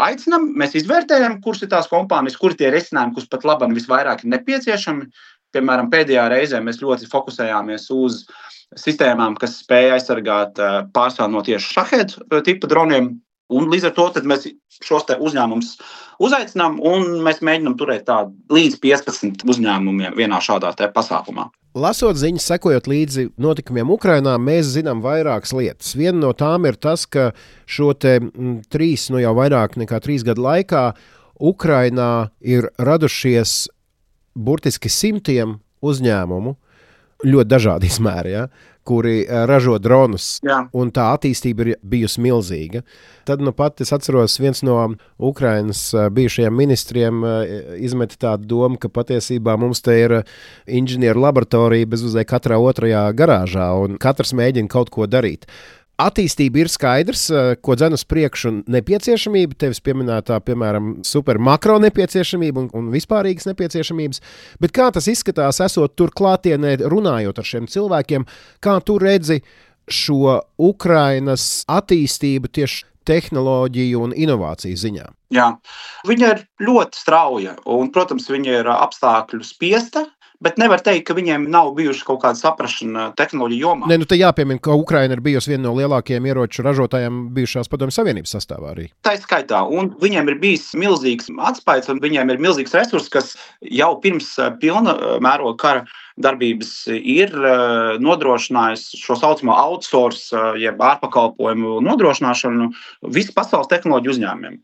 aicinām, mēs izvērtējam, kuras ir tās kompānijas, kuri tie risinājumi, kurus pat labam visvairāk ir nepieciešami. Piemēram, pēdējā reizē mēs ļoti fokusējāmies uz sistēmām, kas spēja aizsargāt pārsvarā no tieši Shahed tipa droniem. Un līdz ar to mēs šos uzņēmumus uzaicinām un mēs mēģinām turēt līdz 15 uzņēmumiem vienā šādā pasākumā. Lasot ziņas, sekojot līdzi notikumiem Ukrainā, mēs zinām vairākas lietas. Viena no tām ir tas, ka šo 3, jau vairāk nekā 3 gadu laikā Ukrainā ir radušies burtiski 100 uzņēmumu, ļoti dažādi izmēri, kuri ražo dronus, un tā attīstība ir bijusi milzīga. Tad pat es atceros, viens no Ukrainas bijušajiem ministriem izmeta tādu domu, ka patiesībā mums te ir inženieru laboratorija bezvazē katrā otrajā garāžā, un katrs mēģina kaut ko darīt. Attīstība ir skaidrs, ko dzen uz priekšu nepieciešamība, tevis pieminētā, piemēram, super makro nepieciešamība un vispārīgas nepieciešamības, bet kā tas izskatās, esot tur klātienē, runājot ar šiem cilvēkiem, kā tu redzi šo Ukrainas attīstību tieši tehnoloģiju un inovāciju ziņā? Jā, viņa ir ļoti strauja un, protams, viņa ir apstākļu spiesta, bet nevar teikt, ka viņiem nav bijuši kaut kāda saprašana tehnoloģiju jomā. Te jāpiemina, ka Ukraina ir bijusi viena no lielākajiem ieroču ražotājiem bijušās Padomju Savienības sastāvā arī. Tā ir skaitā, un viņiem ir bijis milzīgs atspaids, un viņiem ir milzīgs resurss, kas jau pirms pilna mēroga kara darbības ir nodrošinājis šo saucamo outsource, jeb ārpakalpojumu nodrošināšanu visu pasaules tehnoloģiju uzņēmumiem.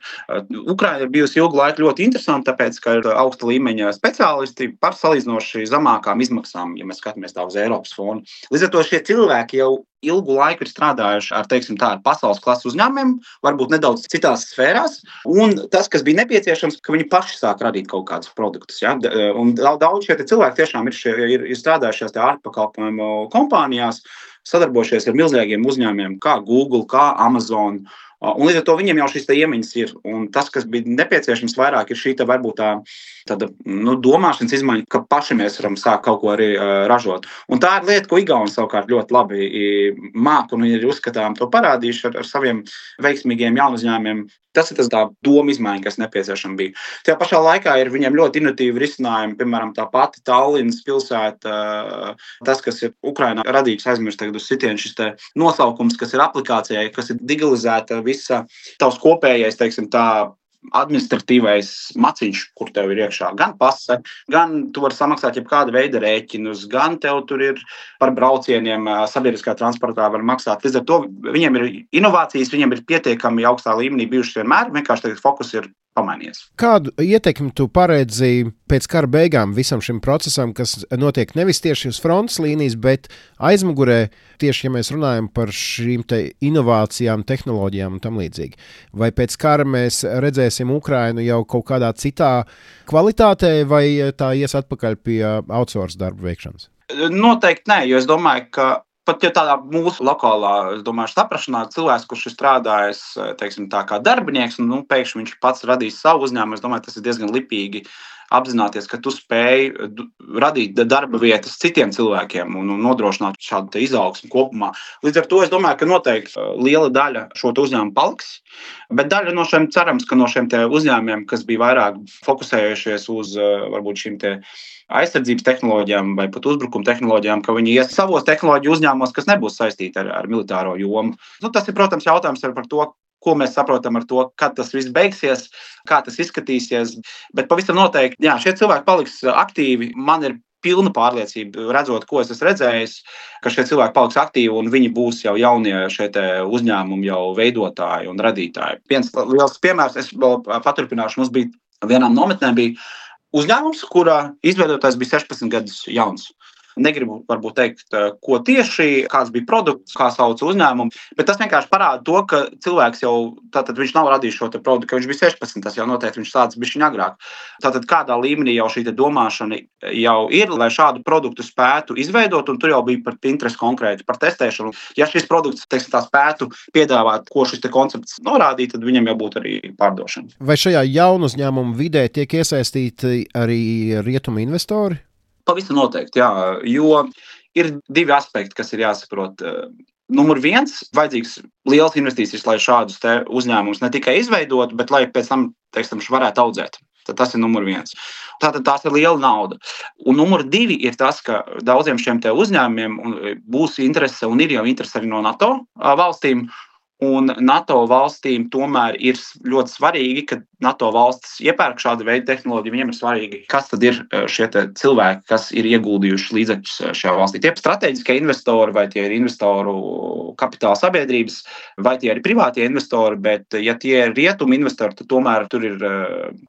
Ukraina ir bijusi ilgu laiku ļoti interesanta, tāpēc, ka ir augsta līmeņa speciālisti par salīdzinoši zemākām izmaksām, ja mēs skatāmies tā uz Eiropas fonu. Līdz ar to šie cilvēki jau ilgu laiku ir strādājuši ar pasaules klases uzņēmumiem, varbūt nedaudz citās sfērās, un tas, kas bija nepieciešams, ka viņi paši sāk radīt kaut kādus produktus. Ja? Un daudz šie cilvēki tiešām ir strādājušies ārpakalpojumu kompānijās, sadarbojušies ar milzīgiem uzņēmumiem, kā Google, kā Amazon. Un līdz ar to viņiem jau šīs iemaņas ir. Un tas, kas bija nepieciešams vairāk, ir šī varbūt tāda domāšanas izmaiņa, ka paši mēs varam sākt kaut ko arī ražot. Un tā ir lieta, ko Igauni savukārt ļoti labi māk, un viņi ir uzskatām to parādījuši ar saviem veiksmīgiem jaunu uzņēmumiem. Tas ir tā doma izmaiņa, kas nepieciešama bija. Tajā pašā laikā ir viņiem ļoti inovatīvi risinājumi, piemēram, tā pati Tallinas pilsēta, tas, kas ir Ukrainā radīgs, aizmirst tagad uz sitienu šis nosaukums, kas ir aplikācijai, kas ir digitalizēta visa tavs kopējais, teiksim tā, administratīvais maciņš, kur tev ir iekšā gan pase, gan tu vari samaksāt jebkāda veida rēķinus, gan tev tur ir par braucieniem sabiedriskā transportā var maksāt. Līdz ar to viņiem ir inovācijas, viņiem ir pietiekami augstā līmenī bijušas vienmēr, vienkārši tagad fokus ir pamainījies. Kādu ietekmi tu paredzi pēc kara beigām visam šim procesam, kas notiek nevis tieši uz frontes līnijas, bet aizmugurē, tieši ja mēs runājam par šīm te inovācijām, tehnoloģijām un tam līdzīgi? Vai pēc kara mēs redzēsim Ukrainu jau kaut kādā citā kvalitātē, vai tā ies atpakaļ pie outsource darba veikšanas? Noteikti nē, jo es domāju, ka pat ja tādā mūsu lokālā, es domāju, saprašanā cilvēks, kurš ir strādājis, teiksim, tā kā darbinieks, un pēkšņi viņš pats radīs savu uzņēmumu, es domāju, tas ir diezgan lipīgi apzināties, ka tu spēj radīt darba vietas citiem cilvēkiem un nodrošināt šādu izaugsmu kopumā. Līdz ar to es domāju, ka noteikti liela daļa šo uzņēmumu paliks, bet daļa no šiem cerams, ka no šiem uzņēmumiem, kas bija vairāk fokusējušies uz varbūt šīm aizsardzības tehnoloģijām vai pat uzbrukuma tehnoloģijām, ka viņi ies savos tehnoloģiju uzņēmumos, kas nebūs saistīti ar militāro jomu. Tas ir, protams, jautājums par to, ko mēs saprotam ar to, kad tas viss beigsies, kā tas izskatīsies. Bet pavisam noteikti, jā, šie cilvēki paliks aktīvi. Man ir pilna pārliecība, redzot, ko es esmu redzējis, ka šie cilvēki paliks aktīvi un viņi būs jau jaunie šie uzņēmumi jau veidotāji un radītāji. Viens liels piemērs, es vēl paturpināšu, mums bija vienām nometnēm bija uzņēmums, kura izveidotājs bija 16 gadus jauns. Negribu varbūt teikt, ko tieši, kāds bija produkts, kā sauc uzņēmumu, bet tas vienkārši parāda to, ka cilvēks jau, tātad viņš nav radījis šo produktu, ka viņš bija 16, tas jau noteikti viņš sācis bišķiņ agrāk. Tātad kādā līmenī jau šī domāšana jau ir, lai šādu produktu spētu izveidot, un tur jau bija par interesi konkrēti, par testēšanu. Ja šis produkts, teiksim, tā spētu piedāvāt, ko šis koncepts norādīja, tad viņam jau būtu arī pārdošana. Vai šajā jaunu uzņēmumu vidē tiek iesaistīti arī rietumu investori? Pavisam noteikti, jā, jo ir divi aspekti, kas ir jāsaprot. Numur viens, vajadzīgs liels investīcijas, lai šādus uzņēmumus ne tikai izveidot, bet lai pēc tam, teiksim, varētu audzēt. Tad tas ir numur viens. Tātad tās ir liela nauda. Un numur divi ir tas, ka daudziem šiem uzņēmumiem būs interese un ir jau interese arī no NATO valstīm. Un NATO valstīm tomēr ir ļoti svarīgi, ka NATO valstis iepērk šādu veidu tehnoloģiju. Viņiem ir svarīgi, kas tad ir šie cilvēki, kas ir ieguldījuši līdzekļus šajā valstī. Tie ir strateģiskie investori, vai tie ir investoru kapitāla sabiedrības, vai tie ir privātie investori, bet ja tie ir rietumu investori, tad tomēr tur ir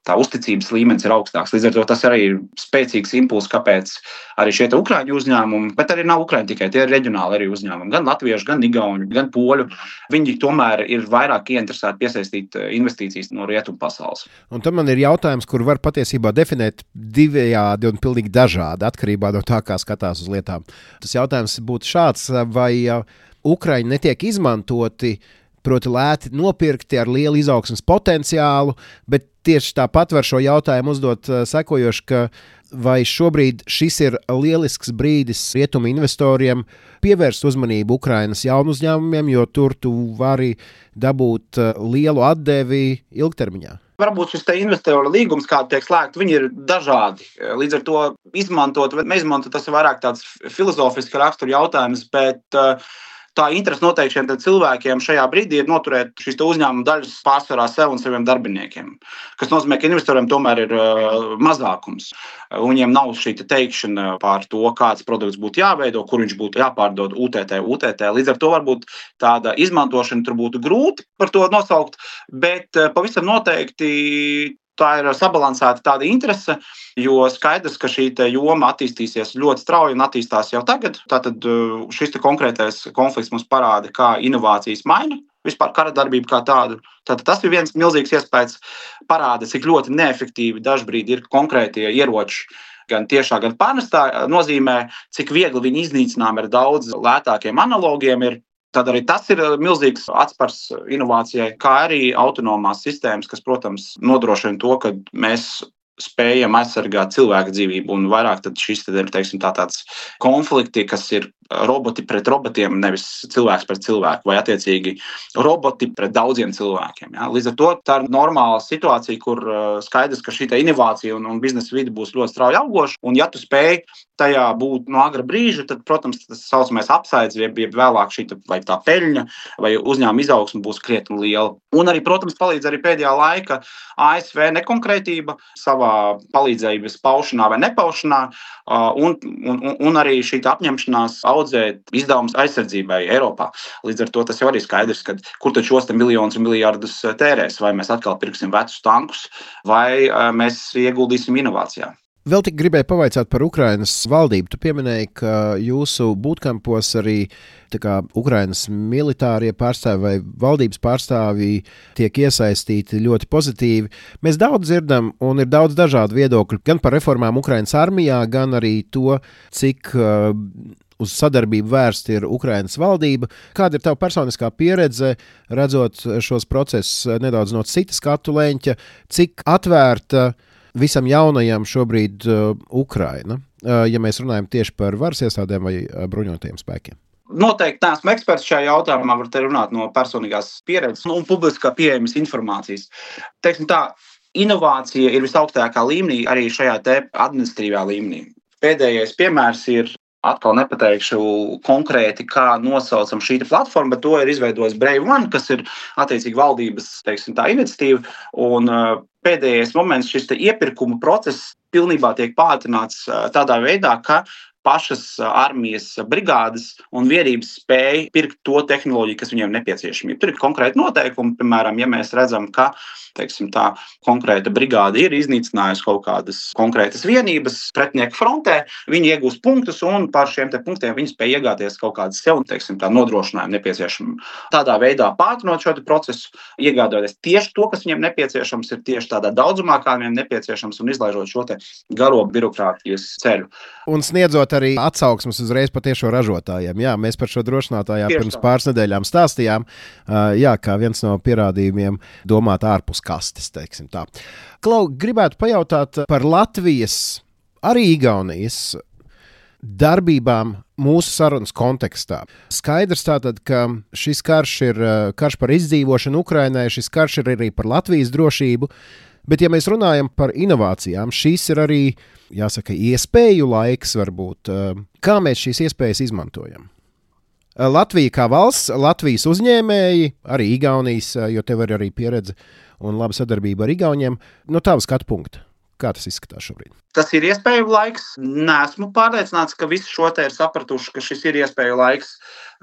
tā uzticības līmenis ir augstāks. Līdz ar to tas arī ir spēcīgs impulss, kāpēc arī šie Ukraiņu uzņēmumi, bet arī nav Ukraiņi tikai, tie ir reģionāli arī uzņēmumi, gan latviešu, gan igauņu, gan poļu. Viņi tomēr ir vairāk ieinteresēti piesaistīt investīcijas no rietumu pasaules. Un tad man ir jautājums, kur var patiesībā definēt divējādi un pilnīgi dažādi atkarībā no tā, kā skatās uz lietām. Tas jautājums būtu šāds, vai Ukraiņi netiek izmantoti, proti lēti nopirkti ar lielu izaugsmes potenciālu, bet tieši tāpat var šo jautājumu uzdot sekojoši, ka vai šobrīd šis ir lielisks brīdis rietumu investoriem pievērst uzmanību Ukrainas jaunu uzņēmumiem, jo tur tu vari dabūt lielu atdevi ilgtermiņā? Varbūt šis investoru līgums, kāda tiek slēgta, viņi ir dažādi. Līdz ar to izmantot vai neizmantot, tas ir vairāk tāds filozofisks rakstura jautājums, bet tā interese noteikti šiem cilvēkiem šajā brīdī ir noturēt šīs uzņēmuma daļas pārsvarā sev un saviem darbiniekiem. Kas nozīmē, ka investoriem tomēr ir mazākums. Viņiem nav šī teikšana par to, kāds produkts būtu jāveido, kur viņš būtu jāpārdod UTT. Līdz ar to varbūt tāda izmantošana tur būtu grūti par to nosaukt, bet pavisam noteikti tā ir sabalansēta tāda interese, jo skaidrs, ka šī joma attīstīsies ļoti strauji un attīstās jau tagad. Tātad šis konkrētais konflikts mums parāda, kā inovācijas maina vispār kara darbību kā tādu. Tātad tas ir viens milzīgs iespējas, parāda, cik ļoti neefektīvi dažbrīd ir konkrētie ieroči, gan tiešā, gan pārnestā nozīmē, cik viegli viņi iznīcinām ar daudz lētākiem analogiem ir. Tad arī tas ir milzīgs atspars inovācijai, kā arī autonomās sistēmas, kas, protams, nodrošina to, ka mēs spējam aizsargāt cilvēku dzīvību. Un vairāk tad šis tad ir, teiksim, tāds konflikti, kas ir roboti pret robotiem, nevis cilvēks pret cilvēku, vai attiecīgi roboti pret daudziem cilvēkiem. Ja? Līdz ar to tā ir normāla situācija, kur skaidrs, ka šī inovācija un biznesa vide būs ļoti strauji augoša. Un ja tu spēj tajā būt no agra brīža, tad, protams, tas saucamais upsides, jeb vēlāk šī vai tā peļņa vai uzņēmuma izaugsme būs krietni liela. Un arī, protams, palīdz arī pēdējā laika ASV nekonkrētība savā palīdzības paušanā vai nepaušanā, un arī šī apņemšanās audzēt izdevumus aizsardzībai Eiropā. Līdz ar to tas jau arī skaidrs, ka kur tad šos miljonus un miljardus tērēs, vai mēs atkal pirksim vecus tankus, vai mēs ieguldīsim inovācijā. Vēl tik gribēju pavaicāt par Ukrainas valdību. Tu pieminēji, ka jūsu bootcampos arī Ukrainas militārie pārstāvi vai valdības pārstāvji tiek iesaistīti ļoti pozitīvi. Mēs daudz dzirdam un ir daudz dažādu viedokļu gan par reformām Ukrainas armijā, gan arī to, cik uz sadarbību vērsta ir Ukrainas valdība. Kāda ir tava personiskā pieredze, redzot šos procesus nedaudz no citas skatu leņķa, cik atvērta visam jaunajam šobrīd Ukraina, ja mēs runājam tieši par varas iestādēm vai bruņotajiem spēkiem? Noteikti neesmu eksperts šajā jautājumā, var te runāt no personīgās pieredzes un publiskā pieejamas informācijas. Teiksim tā, inovācija ir visaugstākā līmenī, arī šajā te administratīvā līmenī. Pēdējais piemērs ir, atkal nepateikšu konkrēti, kā nosaucam šī platforma, bet to ir izveidojis Brave One, kas ir attiecīgi valdības, teiksim tā, iniciatīva. Un pēdējais moments šis iepirkuma process pilnībā tiek pātrināts tādā veidā, ka pašas armijas brigādes un vienības spēja pirkt to tehnoloģiju, kas viņiem nepieciešama. Tur ir konkrēti noteikumi, piemēram, ja mēs redzam, ka teiksim, tā konkrēta brigāde ir iznīcinājusi kaut kādas konkrētas vienības pretinieku frontē, viņi iegūst punktus un par šiem te punktiem viņi spēj iegāties kaut kādas sev, teiksim, tā nodrošinājumu nepieciešamu. Tādā veidā pātrinot šo procesu, iegādājoties tieši to, kas viņiem nepieciešams, ir tieši tādā daudzumā, kā viņiem nepieciešams un izlaižot šo te garo birokrātijas ceļu. Un sniedzot arī atsauksmes uzreiz patiešo ražotājiem. Jā, mēs par šo drošinātājā pirms pāris nedēļām stāstījām, kā viens no pierādījumiem domāt ārpus kastes, teiksim tā. Klau, gribētu pajautāt par Latvijas, arī Igaunijas darbībām mūsu sarunas kontekstā. Skaidrs tātad, ka šis karš ir karš par izdzīvošanu Ukrainai, šis karš ir arī par Latvijas drošību, bet ja mēs runājam par inovācijām, šīs ir arī, jāsaka, iespēju laiks varbūt. Kā mēs šīs iespējas izmantojam? Latvija kā valsts, Latvijas uzņēmēji, arī Igaunijas, jo tev ir arī pieredze un laba sadarbība ar Igauniem. No tava skatu punkta, kā tas izskatās šobrīd? Tas ir iespēju laiks. Nesmu pārliecināts, ka visi šo te ir sapratuši, ka šis ir iespēju laiks.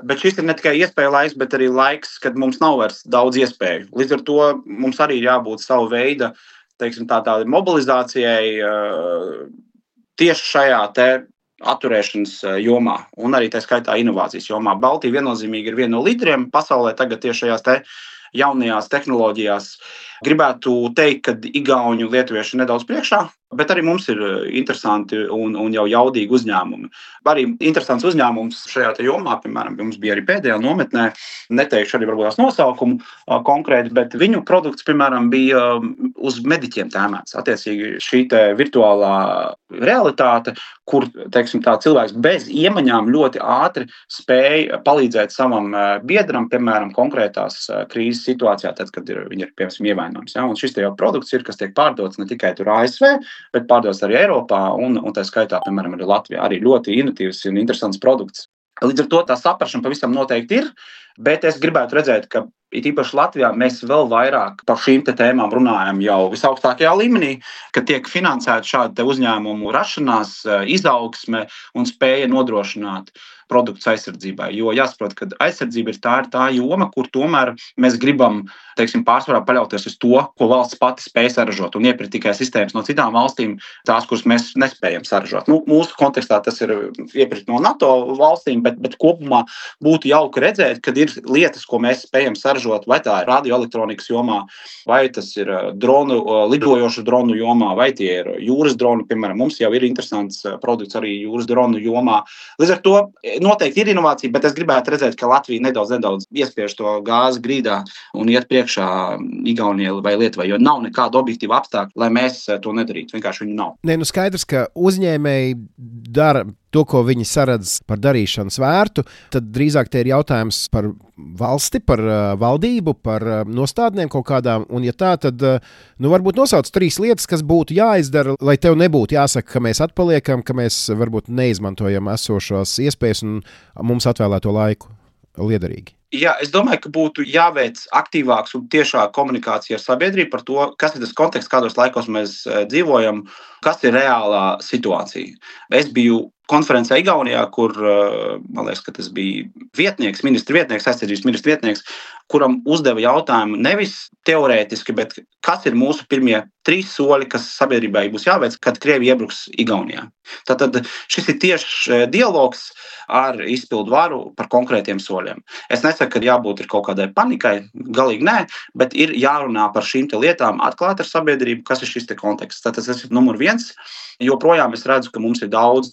Bet šis ir ne tikai iespēju laiks, bet arī laiks, kad mums nav vairs daudz iespēju. Līdz ar to mums arī ir jābūt savu veidu, teiksim, tādai mobilizācijai tieši šajā te atturēšanas jomā un arī tā skaitā inovācijas jomā. Baltija viennozīmīgi ir viena no līderiem pasaulē tagad tieši šajās te jaunajās tehnoloģijās. Gribētu teikt, ka igauņi un lietuvieši ir nedaudz priekšā, bet arī mums ir interesanti un jau jaudīgi uzņēmumi. Arī interesants uzņēmums šajā te jomā, piemēram, mums bija arī pēdējā nometnē, neteikšu arī varbūt tās nosaukumu konkrēti, bet viņu produkts, piemēram, bija uz mediķiem tēmēts. Attiecīgi šī te virtuālā realitāte, kur, teiksim, tā cilvēks bez iemaņām ļoti ātri spēja palīdzēt savam biedram, piemēram, konkrētās krīzes situācijā, tad, kad viņi ir, piemēram, ievainojums. Ja? Un šis te jau produkts ir, kas tiek pārdots ne tikai tur ASV, bet pārdots arī Eiropā un tā skaitā, piemēram, arī Latvijā. Arī ļoti inovatīvs un interesants produkts. Līdz ar to tā saprašana pavisam noteikti ir, bet es gribētu redzēt, ka it īpaši Latvijā mēs vēl vairāk par šīm te tēmām runājam jau visaugstākajā līmenī, ka tiek finansēta šāda uzņēmumu rašanās, izaugsme un spēja nodrošināt produktus aizsardzībai. Jo jāsaprot, ka aizsardzība ir tā joma, kur tomēr mēs gribam, teiksim, pārsvarā paļauties uz to, ko valsts pati spēj saražot un iepirkt tikai sistēmas no citām valstīm, tās, kuras mēs nespējam saražot. Mūsu kontekstā tas ir iepirkt no NATO valstīm, bet kopumā būtu jauki redzēt, kad ir lietas, ko mēs spējam saražot, vai tā ir radioelektronikas jomā, vai tas ir dronu, lidojošu dronu jomā, vai tie ir jūras droni, piemēram, mums jau ir interesants produkts arī jūras dronu jomā. Līdz ar to noteikti ir inovācija, bet es gribētu redzēt, ka Latvija nedaudz iespiež to gāzi grīdā un iet priekšā Igaunijai vai Lietuvai, jo nav nekāda objektīva apstākļa, lai mēs to nedarītu. Vienkārši viņu nav. Skaidrs, ka uzņēmēji dara to, ko viņi saredz par darīšanas vērtu, tad drīzāk te ir jautājums par valsti, par valdību, par nostādnēm kaut kādām. Un ja tā, tad varbūt nosauc 3 lietas, kas būtu jāizdara, lai tev nebūtu jāsaka, ka mēs atpaliekam, ka mēs varbūt neizmantojam esošos iespējas un mums atvēlēto laiku liederīgi. Jā, es domāju, ka būtu jāveic aktīvāks un tiešāk komunikācija ar sabiedrību par to, kas ir tas konteksts, kādos laikos mēs dzīvojam, kas ir reālā situācija. Es biju konferencē Igaunijā, kur, man liekas, ka tas bija ministra vietnieks, aizsardzības ministra vietnieks, kuram uzdeva jautājumu nevis teorētiski, bet kas ir mūsu pirmie 3 soļi, kas sabiedrībai būs jāveic, kad Krievija iebruks Igaunijā. Tātad šis ir tieši dialogs ar izpildu varu par konkrētiem soļiem. Es nesaku, ka jābūt ir kaut kādai panikai, galīgi nē, bet ir jārunā par šīm lietām atklāt ar sabiedrību, kas ir šis konteksts. Tātad tas ir numur 1. Joprojām es redzu, ka mums ir daudz,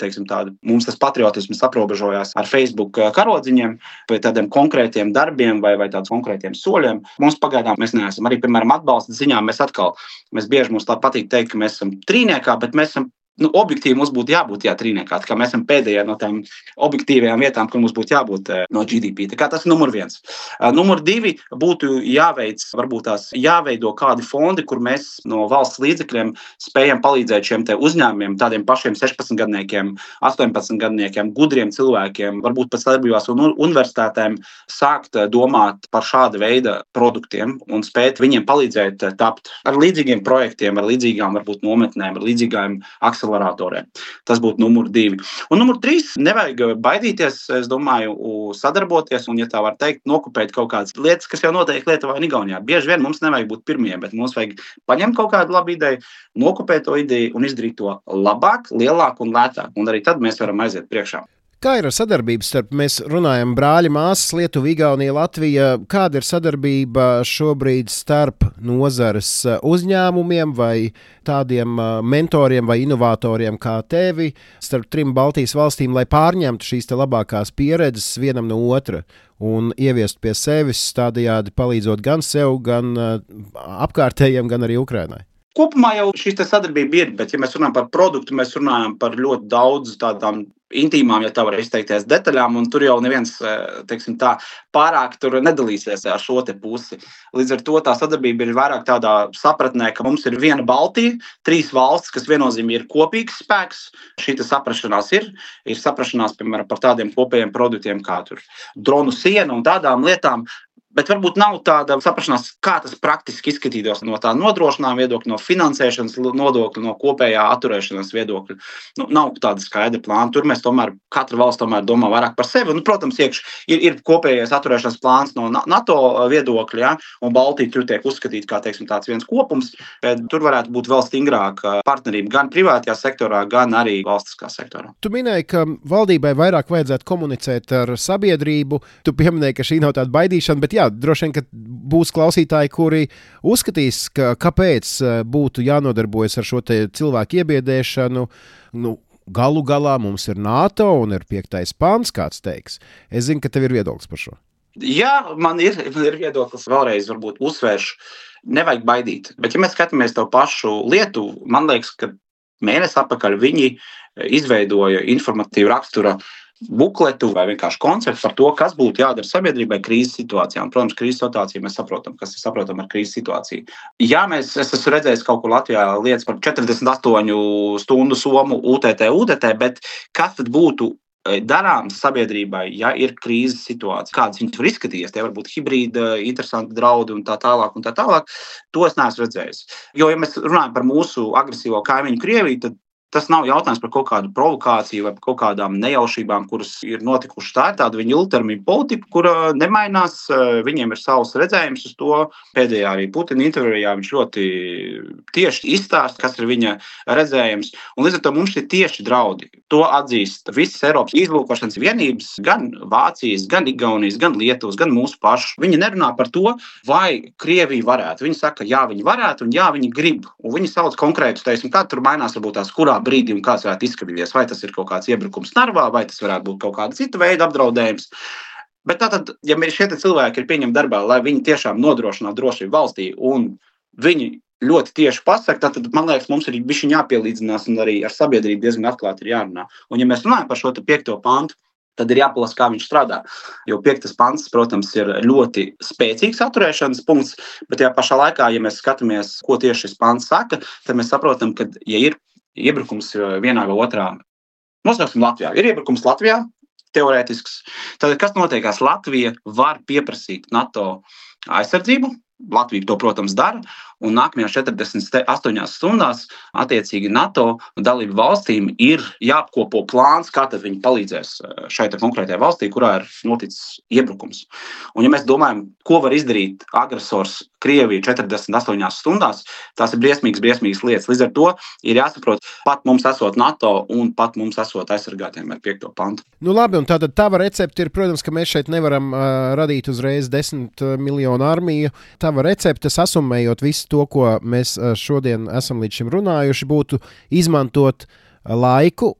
mums tas patriotisms aprobežojās ar Facebook karodziņiem, vai tādiem konkrētiem darbiem vai tādiem konkrētiem soļiem. Mums pagaidām mēs neesam. Arī, piemēram, atbalsta ziņā mēs bieži mums tā patīk teikt, ka mēs esam trīniekā, bet mēs esam objektīvi mums būtu jābūt trīniekā. Tā kā mēs esam pēdējā no tām objektīvajām vietām, kur mums būtu jābūt no GDP. Tā kā tas ir numur 1. Numur 2 būtu jāveido kādi fondi, kur mēs no valsts līdzekļiem spējam palīdzēt šiem uzņēmumiem, tādiem pašiem 16-gadniekiem, 18-gadniekiem, gudriem cilvēkiem, varbūt pēc sadarbībās un universitātēm sākt domāt par šāda veida produktiem un spēt viņiem palīdzēt tapt ar līdzīgiem projektiem, ar līdzīgām varbūt nometnēm, ar līdzīgām akceleratoriem. Tas būtu numur 2. Un numur 3, nevajag baidīties, es domāju, sadarboties un, ja tā var teikt, nokopēt kaut kādas lietas, kas jau notiek Lietuvā un Igaunijā. Bieži vien mums nevajag būt pirmie, bet mums vajag paņemt kaut kādu labu ideju, nokopēt to ideju un izdarīt to labāk, lielāk un lētāk. Un arī tad mēs varam aiziet priekšā. Kā ir ar sadarbību starp, mēs runājam, brāļi, māsas, Lietuva, Igaunija, Latvija? Kāda ir sadarbība šobrīd starp nozares uzņēmumiem vai tādiem mentoriem vai inovatoriem kā tevi, starp 3 Baltijas valstīm, lai pārņemtu šīs labākās pieredzes vienam no otra un ieviest pie sevis, tādējādi palīdzot gan sev, gan apkārtējiem, gan arī Ukrainai? Kopumā jau šī sadarbība ir, bet, ja mēs runājam par produktu, mēs runājam par ļoti daudz tādām intīmām, ja tā var izteikties, detaļām, un tur jau neviens, pārāk tur nedalīsies ar šo pusi. Līdz ar to tā sadarbība ir vairāk tādā sapratnē, ka mums ir viena Baltija, 3 valstis, kas viennozīmīgi ir kopīgs spēks. Šī saprašanās ir saprašanās, piemēram, par tādiem kopējiem produktiem kā tur dronu siena un tādām lietām. Bet varbūt nav tāda saprašanās, kā tas praktiski izskatītos no tā nodrošinājuma viedokļa, no finansēšanas nodokļa, no kopējā atturēšanās viedokļa. Nav tāda skaidra plāna. Tur mēs tomēr, katra valsts tomēr domā vairāk par sevi. Protams, ir kopējais atturēšanās plāns no NATO viedokļa, ja? Un Baltija tur tiek uzskatīta kā tāds viens kopums. Bet tur varētu būt vēl stingrāka partnerība gan privātajā sektorā, gan arī valstiskā sektorā. Tu minēji, ka valdībai vairāk vajadzētu komunicēt ar sabiedrību. Tu pieminēji, ka šī nav tāda baidīšana, bet droši vien, ka būs klausītāji, kuri uzskatīs, kāpēc būtu jānodarbojas ar šo cilvēku iebiedēšanu. Galu galā mums ir NATO un ir 5. pants, kāds teiks. Es zinu, ka tev ir viedoklis par šo. Jā, man ir viedoklis. Vēlreiz varbūt uzsvēršu. Nevajag baidīt. Bet, ja mēs skatāmies to pašu Lietuvu, man liekas, ka mēnesi atpakaļ viņi izveidoja informatīvu rakstura bukletu vai vienkārši konceptu par to, kas būtu jādara sabiedrībai krīzes situācijā. Un, protams, krīzes situācija mēs saprotam, kas ir saprotam ar krīzes situāciju. Jā, es esmu redzējis kaut kur Latvijā lietas par 48 stundu somu UTT, bet kas tad būtu darāms sabiedrībai, ja ir krīzes situācija? Kādas viņas var izskatīties? Tie var būt hibrīda, interesanti draudi un tā tālāk. To es neesmu redzējis. Jo, ja mēs runājam par mūsu agresīvo kaimiņu Krieviju, tad tas nav jautājums par kaut kādu provokāciju vai par kaut kādām nejaušībām, kuras ir notikušas. Tā ir tāda viņa ilgtermiņa politika, kura nemainās. Viņiem ir savs redzējums uz to. Pēdējā arī Putina intervijā viņš ļoti tieši izstāsta, kas ir viņa redzējums. Un līdz ar to mums ir tieši draudi. To atzīst visas Eiropas izlūkošanas vienības, gan Vācijas, gan Igaunijas, gan Lietuvas, gan mūsu pašu. Viņi nerunā par to, vai Krievija varētu. Viņi saka, jā, viņi varētu un jā, viņi grib. Un viņi sauc konkrētus, kā tur mainās varbūt tās kurā brīdī un kāds varētu izskatīties. Vai tas ir kaut kāds iebrukums Narvā, vai tas varētu būt kaut kāda cita veida apdraudējums. Bet tātad, ja šie cilvēki ir pieņemti darbā, lai viņi tiešām nodrošinātu drošību valstī un viņi ļoti tieši pasaka, tad, man liekas, mums ir bišķiņ jāpielīdzinās un arī ar sabiedrību diezgan atklāti ir jārunā. Un ja mēs runājam par šo 5. pantu, tad ir jāpalasa, kā viņš strādā. Jo 5. pants, protams, ir ļoti spēcīgs atturēšanas punkts, bet tajā pašā laikā, ja mēs skatāmies, ko tieši šis pants saka, tad mēs saprotam, ka, ja ir iebrukums vienā vai otrā, nosauksim Latvijā, ir iebrukums Latvijā, teorētisks, tad kas notiekās? Latvija var pieprasīt NATO aizsardzību, Latvija to, protams, dara, un nākamajās 48 stundās attiecīgi NATO dalību valstīm ir jāapkopo plāns, kā tad viņi palīdzēs šai konkrētajai valstī, kurā ir noticis iebrukums. Un ja mēs domājam, ko var izdarīt agresors Krievija 48 stundās, tās ir briesmīgas lietas. Līdz ar to ir jāsaprot, pat mums esot NATO un pat mums esot aizsargātiem ar 5. pantu. Nu labi, un tātad tava recepte ir, protams, ka mēs šeit nevaram radīt uzreiz 10 miljonu armiju. Tava recepte, sasummējot visu to, ko mēs šodien esam līdz šim runājuši, būtu izmantot laiku,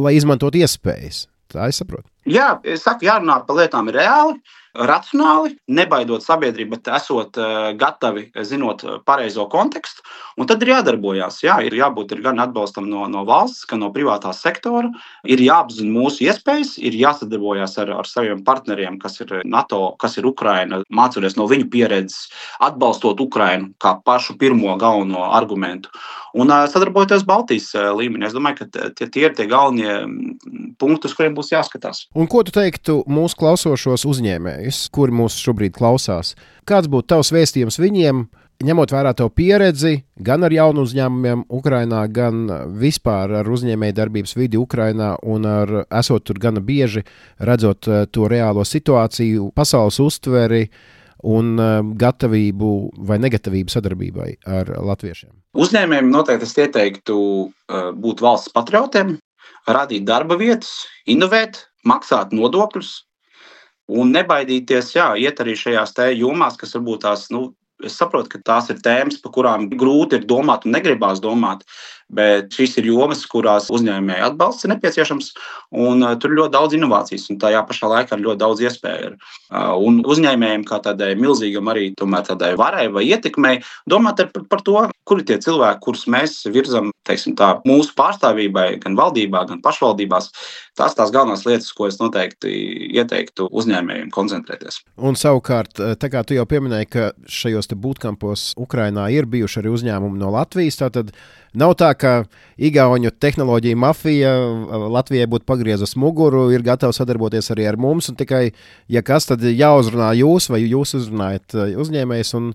lai izmantot iespējas. Tā es saprotu. Jā, es saku, jārunā par lietām reāli, racionāli, nebaidot sabiedrību, bet esot gatavi, zinot pareizo kontekstu. Un tad ir jādarbojās. Jā, ir jābūt gan atbalstam no valsts, gan no privātā sektora. Ir jāapzina mūsu iespējas, ir jāsadarbojās ar saviem partneriem, kas ir NATO, kas ir Ukraina, mācoties no viņu pieredzes, atbalstot Ukrainu kā pašu pirmo galveno argumentu. Un sadarbojoties Baltijas līmenī. Es domāju, ka tie ir tie galvenie punkti, uz kuriem būs jāskatās. Un ko tu teiktu mūsu klausošos uzņēmējus, kuri mūs šobrīd klausās? Kāds būtu tavs vēstījums viņiem, ņemot vērā tavu pieredzi, gan ar jaunu uzņēmumiem Ukrainā, gan vispār ar uzņēmēju darbības vidi Ukrainā un esot tur gana bieži, redzot to reālo situāciju, pasaules uztveri un gatavību vai negatavību sadarbībai ar latviešiem? Uzņēmējiem noteikti es ieteiktu būt valsts patriotiem, radīt darba vietas, inovēt, maksāt nodokļus un nebaidīties, iet arī šajās jomās, kas varbūt tās, es saprotu, ka tās ir tēmas, par kurām grūti ir domāt un negribās domāt, bet šīs ir jomas, kurās uzņēmēju atbalsts ir nepieciešams, un tur ir ļoti daudz inovācijas, un tajā pašā laikā ir ļoti daudz iespēju. Un uzņēmējiem kā tādai milzīgam arī tomēr tādai varai vai ietekmei, domāt par to, kuri tie cilvēki, kurus mēs virzam, teiksim tā, mūsu pārstāvībai, gan valdībā, gan pašvaldībās, tās galvenās lietas, ko es noteikti ieteiktu uzņēmējiem koncentrēties. Un savukārt, tā kā tu jau pieminēji, ka šajos te bootcampos Ukrainā ir bijuši arī uzņēmumi no Latvijas, tātad nav tā, ka igauņu tehnoloģija mafija Latvijai būtu pagriezus muguru, ir gatava sadarboties arī ar mums, un tikai, ja kas, tad jāuzrunā jūs, vai jūs uzrunājat uzņēmējs, un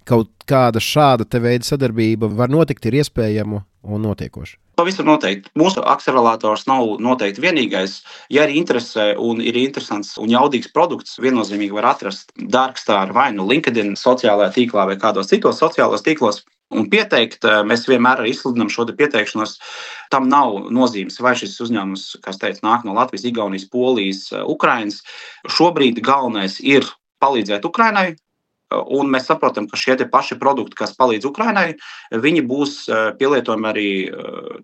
kaut kāda šāda te veida sadarbība var notikt, ir iespējama un notiekoša. Pavisam noteikti. Mūsu akcelerators nav noteikti vienīgais. Ja arī interesē un ir interesants un jaudīgs produkts, viennozīmīgi var atrast Darkstar vai LinkedIn sociālajā tīklā vai kādos citos sociālos tīklos un pieteikt. Mēs vienmēr arī izsludinām šo pieteikšanos. Tam nav nozīmes, vai šis uzņēmums, kas teica, nāk no Latvijas, Igaunijas, Polijas, Ukrainas. Šobrīd galvenais ir palīdzēt Ukrainai. Un mēs saprotam, ka šie paši produkti, kas palīdz Ukrainai, viņi būs pielietojami arī,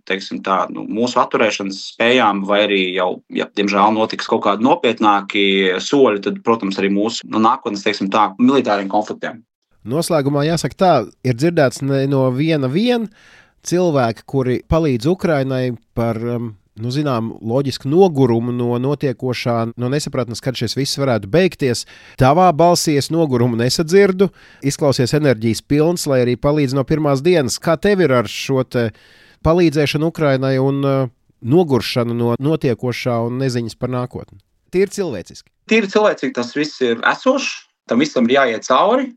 teiksim tā, mūsu atturēšanas spējām, vai arī jau, ja diemžēl notiks kaut kādi nopietnāki soļi, tad, protams, arī mūsu nākotnes, teiksim tā, militāriem konfliktiem. Noslēgumā jāsaka tā, ir dzirdēts no viena cilvēka, kuri palīdz Ukrainai par zinām, loģisku nogurumu no notiekošā, no nesapratnes, kad šis viss varētu beigties. Tavā balsī es nogurumu nesadzirdu, izklausies enerģijas pilns, lai arī palīdz no pirmās dienas. Kā tev ir ar šo te palīdzēšanu Ukrainai un noguršanu no notiekošā un neziņas par nākotni? Tīri cilvēciski. Tīri cilvēcīgi tas viss ir esošs, tam visam ir jāiet cauri,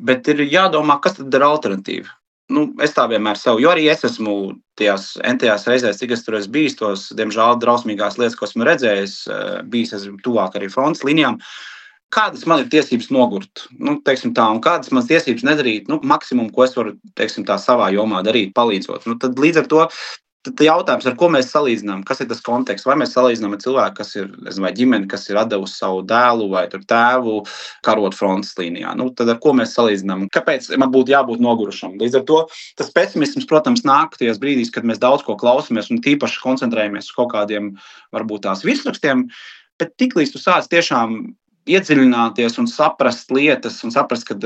bet ir jādomā, kas tad ir alternatīva. Es tā vienmēr sev, jo arī es esmu tajās entajās reizēs, cik es tur esmu bijis, tos, diemžēl, drausmīgās lietas, ko esmu redzējis, bijis esmu tuvāk arī frontes līnijām. Kādas man ir tiesības nogurt? Teiksim tā, un kādas manas tiesības nedarīt? Maksimum, ko es varu, teiksim tā, savā jomā darīt, palīdzot. Tad līdz ar to tad jautājums, ar ko mēs salīdzinām, kas ir tas konteksts, vai mēs salīdzinām ar cilvēku, kas ir, vai ģimeni, kas ir atdevusi savu dēlu vai tēvu karot frontes līnijā. Tad ar ko mēs salīdzinām? Kāpēc man būtu jābūt nogurušam? Līdz ar to tas pesimisms, protams, nāk tajās brīdīs, kad mēs daudz ko klausamies un tīpaši koncentrējamies uz kaut kādiem, varbūt tās virsrakstiem, bet tiklīdz tu sāc tiešām iedziļināties un saprast lietas, un saprast, ka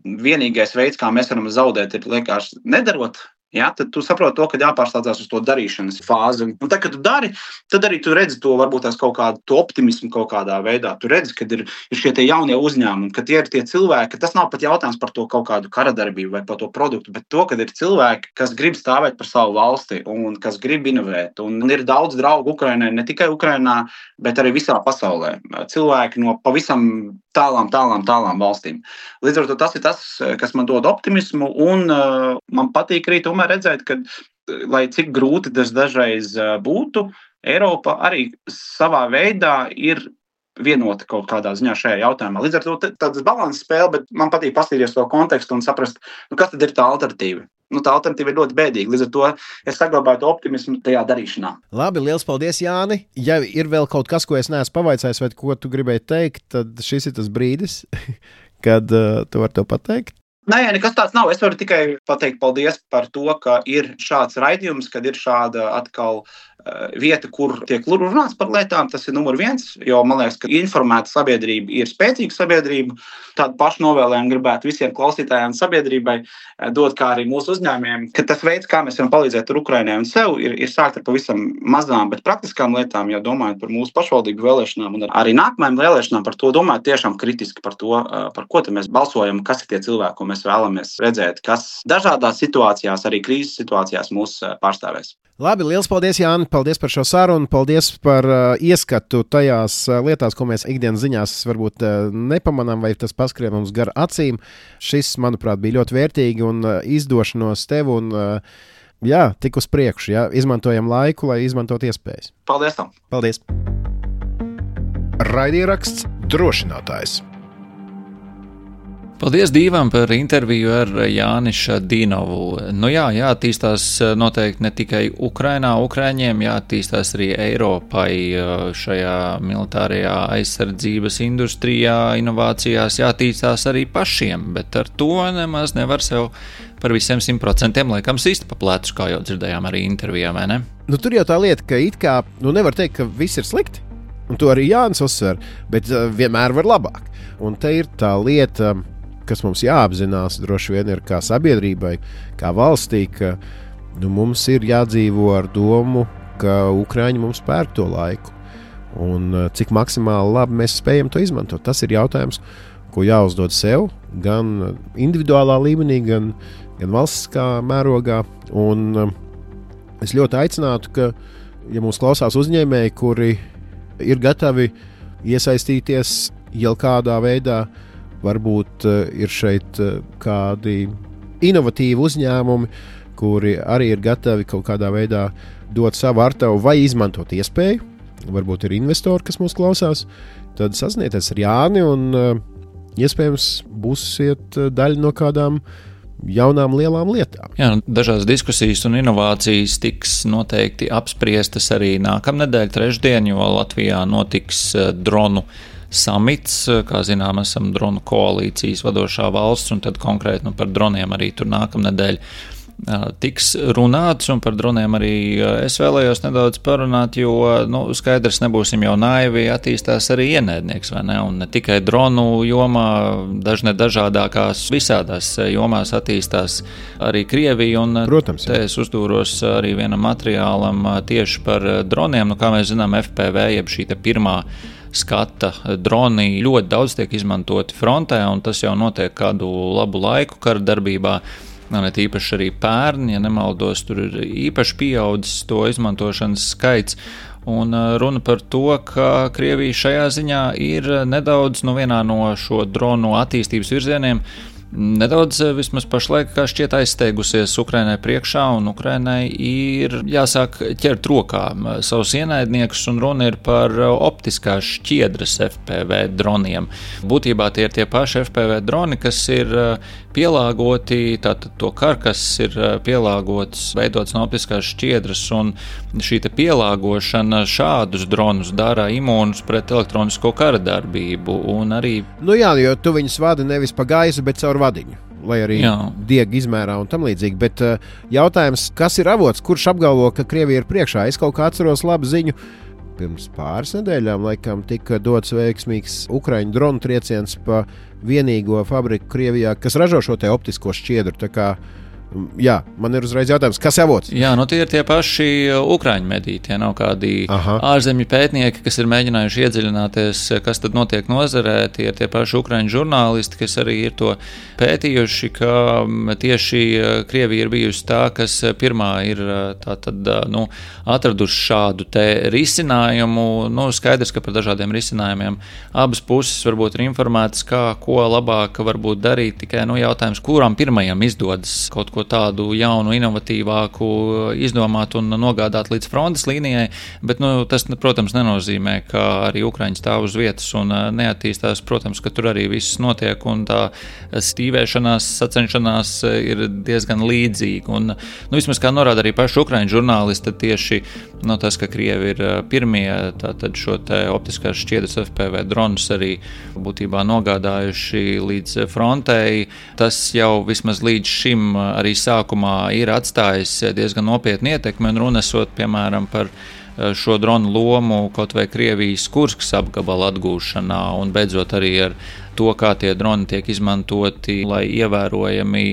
vienīgais veids, kā mēs varam zaudēt, ir vienkārši nedarot. Ja, tad tu saproti to, ka jāpārslēdzas uz to darīšanas fāzi. Un tad, kad tu dari, tad arī tu redzi to varbūt tās kaut kādu optimismu kaut kādā veidā. Tu redzi, ka ir šie tie jaunie uzņēmumi, ka tie ir tie cilvēki, ka tas nav pat jautājums par to kaut kādu karadarbību vai par to produktu, bet to, ka ir cilvēki, kas grib stāvēt par savu valsti un kas grib inovēt. Un ir daudz draugu Ukrainai, ne tikai Ukrainā, bet arī visā pasaulē. Cilvēki no pavisam tālām valstīm. Līdz ar to tas ir tas, kas man dod optimismu, un man patīk arī tomēr redzēt, ka, lai cik grūti tas dažreiz būtu, Eiropa arī savā veidā ir vienota kaut kādā ziņā šajā jautājumā. Līdz ar to tāds balanss spēle, bet man patīk paskatīties to kontekstu un saprast, kas tad ir tā alternatīva. Tā alternatīva ir ļoti bēdīga. Līdz ar to es saglabāju to optimismu tajā darīšanā. Labi, liels paldies, Jāni. Ja ir vēl kaut kas, ko es neesmu pavaicājis, vai ko tu gribēji teikt, tad šis ir tas brīdis, kad tu vari to pateikt. Nē, nekas tāds nav. Es varu tikai pateikt paldies par to, ka ir šāds raidījums, kad ir šāda atkal vieta, kur tiek runāts par lietām. Tas ir numur 1, jo man liekas, ka informēta sabiedrība ir spēcīga sabiedrība. Tādu pašu novēlējumu gribētu visiem klausītājiem sabiedrībai dot, kā arī mūsu uzņēmējiem, ka tas veids, kā mēs varam palīdzēt Ukrainai un sev, ir sākt ar pavisam mazām, bet praktiskām lietām, jo domājot par mūsu pašvaldību vēlēšanām un arī nākamajām vēlēšanām, par to domājot tiešām kritiski par to, par ko mēs balsojam, kas ir tie cilvēki, ko mēs vēlamies redzēt, kas dažādās situācijās, arī krīzes situācijās mūs pārstāvēs. Labi, liels paldies, Jāni. Paldies par šo sarunu, paldies par ieskatu tajās lietās, ko mēs ikdienas ziņās varbūt nepamanām, vai tas paskrien mums gar acīm. Šis, manuprāt, bija ļoti vērtīgi un izdošanos tev un tik uz priekšu. Jā. Izmantojam laiku, lai izmantot iespējas. Paldies tam! Paldies! Raidieraksts Drošinātājs. Paldies Dīvam par interviju ar Jāni Šadinovu. Jāattīstās noteikti ne tikai Ukrainā, Ukraiņiem, jāattīstās arī Eiropai šajā militārajā aizsardzības industrijā, inovācijās, jāattīstās arī pašiem, bet ar to nemaz nevar sev par visiem 100% laikam sist pa plecu, kā jau dzirdējām arī intervijā, vai ne? Tur jau tā lieta, ka it kā, nevar teikt, ka viss ir slikti, un to arī Jānis uzsver, bet vienmēr var labāk. Un te ir tā lieta, kas mums jāapzinās, droši vien ir kā sabiedrībai, kā valstī, ka mums ir jādzīvo ar domu, ka Ukraiņi mums pērk to laiku. Un cik maksimāli labi mēs spējam to izmantot. Tas ir jautājums, ko jāuzdod sev, gan individuālā līmenī, gan valstiskā mērogā. Un es ļoti aicinātu, ka, ja mūs klausās uzņēmēji, kuri ir gatavi iesaistīties jau kādā veidā, varbūt ir šeit kādi inovatīvi uzņēmumi, kuri arī ir gatavi kaut kādā veidā dot savu artavu vai izmantot iespēju. Varbūt ir investori, kas mūs klausās. Tad sazināties ar Jāni un iespējams būsiet daļa no kādām jaunām lielām lietām. Jā, dažādas diskusijas un inovācijas tiks noteikti apspriestas arī nākamnedēļ trešdien, jo Latvijā notiks dronu samits, kā zinām, esam dronu koalīcijas vadošā valsts, un tad konkrēti par droniem arī tur nākamnedēļ tiks runāts, un par droniem arī es vēlējos nedaudz parunāt, jo, skaidrs, nebūsim jau naivi, attīstās arī ienaidnieks, vai ne, un ne tikai dronu jomā, dažādākās visādās jomās attīstās arī Krievija, un protams, te es uzdūros arī vienam materiālam tieši par droniem, kā mēs zinām, FPV, jeb šī te pirmā skata droni ļoti daudz tiek izmantoti frontē, un tas jau notiek kādu labu laiku kara darbībā. Net īpaši arī pērn, ja nemaldos, tur ir īpaši pieaudzis to izmantošanas skaits. Un runa par to, ka Krievija šajā ziņā ir nedaudz vienā no šo dronu attīstības virzieniem nedaudz vismaz pašlaik kā šķiet aizsteigusies Ukrainai priekšā, un Ukrainai ir jāsāk ķert rokā savus ienaidniekus, un runa ir par optiskās šķiedras FPV droniem. Būtībā tie ir tie paši FPV droni, kas ir pielāgoti, tātad to karkas ir pielāgots, veidots no optiskās šķiedras, un šī te pielāgošana šādus dronus dara imūnus pret elektronisko kara darbību, un arī... jo tu viņus vadi nevis pa gaisu, bet caur vadiņu, lai arī diega izmērā un tam līdzīgi, bet jautājums, kas ir avots, kurš apgalvo, ka Krievija ir priekšā? Es kaut kā atceros labu ziņu pirms pāris nedēļām, laikam, tika dots veiksmīgs Ukraiņu dronu trieciens pa vienīgo fabriku Krievijā, kas ražo šo te optisko šķiedru. Tā kā, jā, man ir uzreiz jautājums, kas avots? Jā, nu tie ir tie paši Ukraiņu mediji, tie nav kādi ārzemju pētnieki, kas ir mēģinājuši iedziļināties, kas tad notiek nozarē, tie ir tie paši Ukraiņu žurnālisti, kas arī ir to pētījuši, ka tieši Krievija ir bijusi tā, kas pirmā ir tātad, atraduši šādu te risinājumu. Skaidrs, ka par dažādiem risinājumiem abas puses varbūt ir informētas, ko labāk varbūt darīt, tikai jautājums, kuram pirmajam izdodas kaut ko tādu jaunu, inovatīvāku izdomāt un nogādāt līdz frontes līnijai, bet tas, protams, nenozīmē, ka arī Ukraiņi stāv uz vietas un neattīstās. Protams, ka tur arī viss notiek un tā stīvēšanās, sacenšanās ir diezgan līdzīga. Un, vismaz kā norāda arī paši Ukraiņu žurnālisti, tieši tas, ka Krievi ir pirmie tātad šo te optiskās šķiedras FPV dronus arī būtībā nogādājuši līdz frontei, tas jau vismaz līdz šim arī sākumā ir atstājis diezgan nopietnu ietekmi un runesot, piemēram, par šo dronu lomu kaut vai Krievijas Kurskas apgabala atgūšanā un beidzot arī ar to, kā tie droni tiek izmantoti, lai ievērojami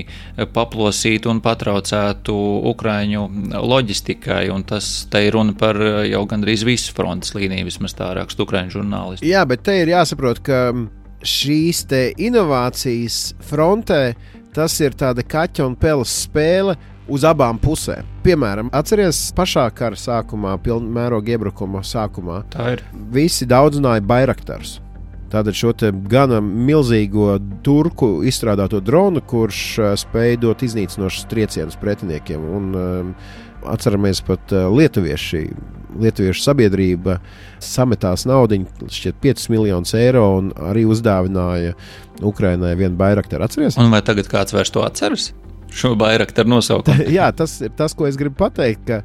paplosītu un patraucētu Ukraiņu loģistikai, un tas te ir runa par jau gandrīz visu frontes līniju, vismaz tā raksta Ukraiņu žurnālisti. Jā, bet te ir jāsaprot, ka šīs te inovācijas frontē tas ir tāda kaķa un peles spēle uz abām pusēm. Piemēram, atceries pašā kara sākumā, pilnmēroga iebrukuma sākumā, tā ir. Visi daudzināja Bayraktarus. Tātad šo te gana milzīgo turku izstrādāto dronu, kurš spēja dot iznīcinošus triecienus pretiniekiem. Un atceramies pat lietuviešu sabiedrība sametās naudiņu, šķiet 5 miljonus eiro, un arī uzdāvināja Ukrainai vienu Bayraktaru. Atceries? Un vai tagad kāds vairs to atceras? Šo Bayraktaru nosaukumu? Jā, tas ir tas, ko es gribu pateikt, ka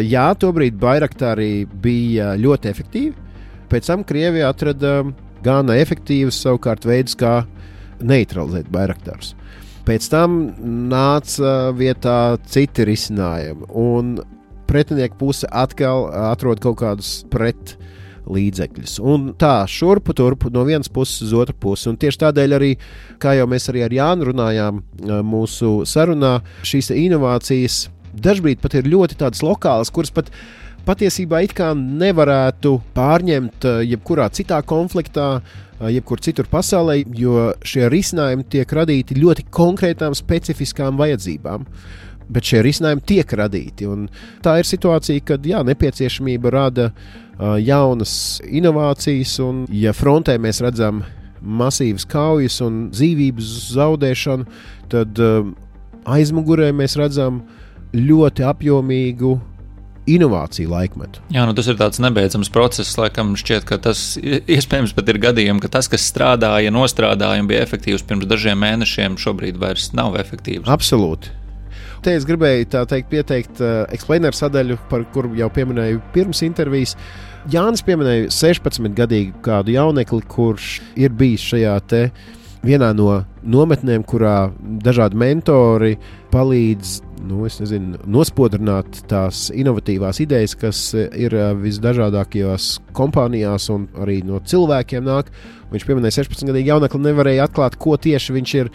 jā, tobrīd Bayraktari bija ļoti efektīvi. Pēc tam Krievija atrada gana efektīvus savukārt veidus, kā neutralizēt Bayraktarus. Pēc tam nāca vietā citi risinājumi, un pretinieku puse atkal atrod kaut kādus pretlīdzekļus. Un tā šurpu turpu no vienas puses uz otru pusi. Un tieši tādēļ arī, kā jau mēs arī ar Jānu runājām mūsu sarunā, šīs inovācijas dažbrīd pat ir ļoti tādas lokālas, kuras pat patiesībā it kā nevarētu pārņemt jebkurā citā konfliktā, jebkur citur pasaulē, jo šie risinājumi tiek radīti ļoti konkrētām specifiskām vajadzībām. Bet šie risinājumi tiek radīti. Un tā ir situācija, kad nepieciešamība rada jaunas inovācijas, un ja frontē mēs redzam masīvas kaujas un dzīvības zaudēšanu, tad aizmugurē mēs redzam ļoti apjomīgu inovāciju laikmetu. Jā, tas ir tāds nebeidzams process, laikam šķiet, ka tas iespējams pat ir gadījumi, ka tas, kas strādāja, nostrādāja un bija efektīvs pirms dažiem mēnešiem, šobrīd vairs nav efektīvs. Absolūti. Te es gribēju pieteikt explainer sadaļu, par kuru jau pieminēju pirms intervijas. Jānis pieminēja 16-gadīgu kādu jaunekli, kurš ir bijis šajā te vienā no nometnēm, kurā dažādi mentori palīdz nospodrināt tās inovatīvās idejas, kas ir visdažādākajās kompānijās un arī no cilvēkiem nāk. Viņš pieminēja 16-gadīgu jaunekli, nevarēja atklāt, ko tieši viņš ir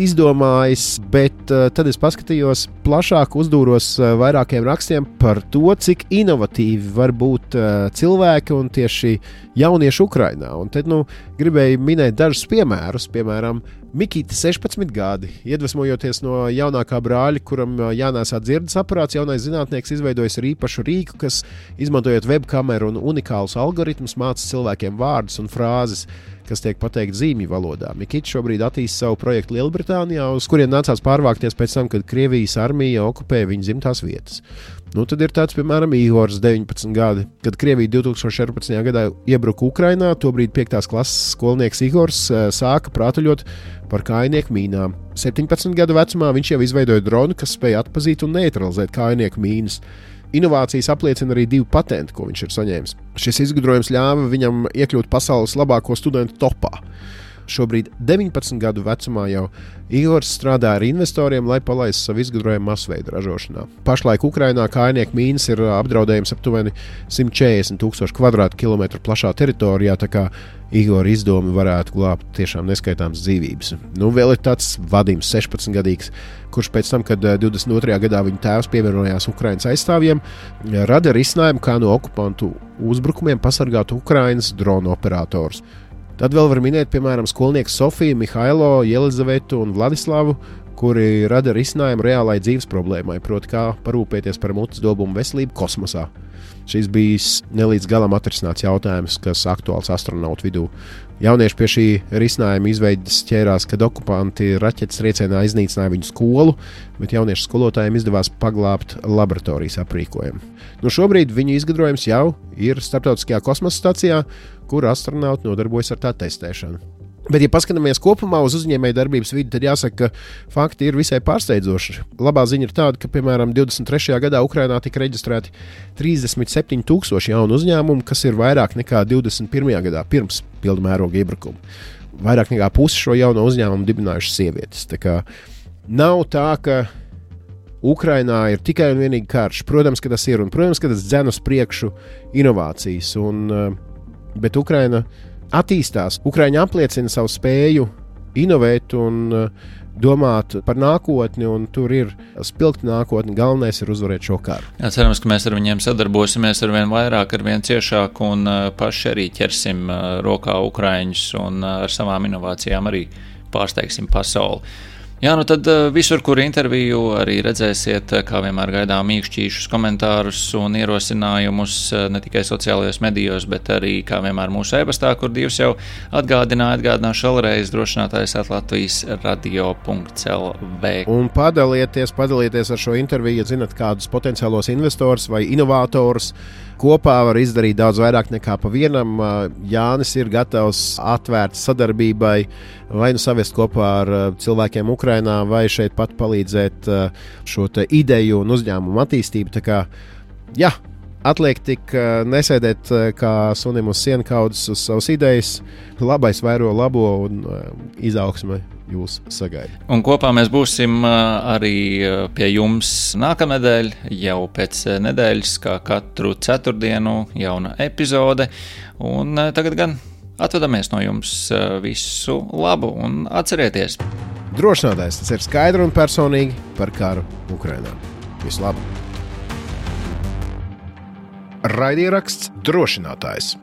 izdomājis, bet tad es paskatījos plašāk, uzdūros vairākiem rakstiem par to, cik inovatīvi var būt cilvēki un tieši jaunieši Ukrainā. Un tad gribēju minēt dažus piemērus, piemēram, Mikita 16 gadi, iedvesmojoties no jaunākā brāļa, kuram jānēsā dzirdes aparāts, jaunais zinātnieks izveidojis ar īpašu rīku, kas, izmantojot webkameru un unikālus algoritmus, māca cilvēkiem vārdus un frāzes, kas tiek pateikt zīmju valodā. Mikita šobrīd attīsta savu projektu Lielbritānijā, uz kuriem nācās pārvākties pēc tam, kad Krievijas armija okupēja viņa dzimtās vietas. Tad ir tāds, piemēram, Ihors 19 gadi, kad Krievija 2014. Gadā iebruka Ukrainā, tobrīd 5. klases skolnieks Ihors sāka prātuļot par kājnieku mīnām. 17 gadu vecumā viņš jau izveidoja dronu, kas spēja atpazīt un neutralizēt kājnieku mīnas. Inovācijas apliecina arī 2 patenti, ko viņš ir saņēmis. Šis izgudrojums ļāva viņam iekļūt pasaules labāko studentu topā. Šobrīd 19 gadu vecumā jau Igors strādā ar investoriem, lai palaistu savu izgudrojumu masveida ražošanā. Pašlaik Ukrainā kājnieku mīnas ir apdraudējums aptuveni 140,000 kvadrātkilometru plašā teritorijā, tā kā Igora izdomi varētu glābt tiešām neskaitāmas dzīvības. Vēl ir tāds Vadims, 16-gadīgs, kurš pēc tam, kad 22. gadā viņa tēvs pievienojās Ukrainas aizstāvjiem, rada risinājumu, kā no okupantu uzbrukumiem pasargāt Ukrainas dronu operatorus. Tad vēl var minēt, piemēram, skolnieku Sofiju, Mihailo, Jelizavetu un Vladislavu, kuri rada risinājumu reālai dzīves problēmai, proti kā parūpēties par mutes dobumu veselību kosmosā. Šis bijis nelīdz galam atrisināts jautājums, kas aktuāls astronautu vidū. Jaunieši pie šī risinājuma izveidas ķērās, kad okupanti raķetes triecienā iznīcināja viņu skolu, bet jauniešu skolotājiem izdevās paglābt laboratorijas aprīkojumu. Šobrīd viņu izgudrojums jau ir Starptautiskajā kosmosa stacijā, kur astronauti nodarbojas ar tā testēšanu. Bet, ja paskatāmies kopumā uz uzņēmēju darbības vidi, tad jāsaka, ka fakti ir visai pārsteidzoši. Labā ziņa ir tāda, ka, piemēram, 23. gadā Ukrainā tika reģistrēti 37,000 jaunu uzņēmumu, kas ir vairāk nekā 21. gadā pirms pilna mēroga iebrukuma. Vairāk nekā pusi šo jauno uzņēmumu dibinājušas sievietes. Tā kā nav tā, ka Ukrainā ir tikai un vienīgi karš. Protams, ka tas ir, un protams, ka tas dzen uz priekšu inovācijas, bet Ukraina attīstās. Ukraiņi apliecina savu spēju inovēt un domāt par nākotni, un tur ir spilgta nākotne. Galvenais ir uzvarēt šo karu. Jā, cerams, ka mēs ar viņiem sadarbosimies ar vien vairāk, ar vien ciešāk un paši arī ķersim rokā Ukraiņus un ar savām inovācijām arī pārsteigsim pasauli. Jā, tad visur, kur interviju arī redzēsiet, kā vienmēr gaidām mīkšķīšus komentārus un ierosinājumus ne tikai sociālajos medijos, bet arī, kā vienmēr, mūsu e-pastā, kur Dievs jau atgādināšu vēlreiz drošinātājs @latvijas radio.lv. Un padalieties ar šo interviju, ja zinat kādus potenciālos investors vai inovatorus. Kopā var izdarīt daudz vairāk nekā pa vienam. Jānis ir gatavs atvērt sadarbībai, vai savest kopā ar cilvēkiem Ukrainā, vai šeit pat palīdzēt šo ideju un uzņēmumu attīstību. Tā kā, jā, atliek tik nesēdēt kā sunim uz sienkaudzes uz savas idejas. Labais vairo labo un izaugsme jūs sagaida. Un kopā mēs būsim arī pie jums nākamnedēļ, jau pēc nedēļas, kā katru ceturtdienu jauna epizode. Un tagad gan atvadamies no jums visu labu un atcerieties. Drošinātājs, tas ir skaidri un personīgi par karu Ukrainā. Visu labu! Raidieraksts Drošinātājs.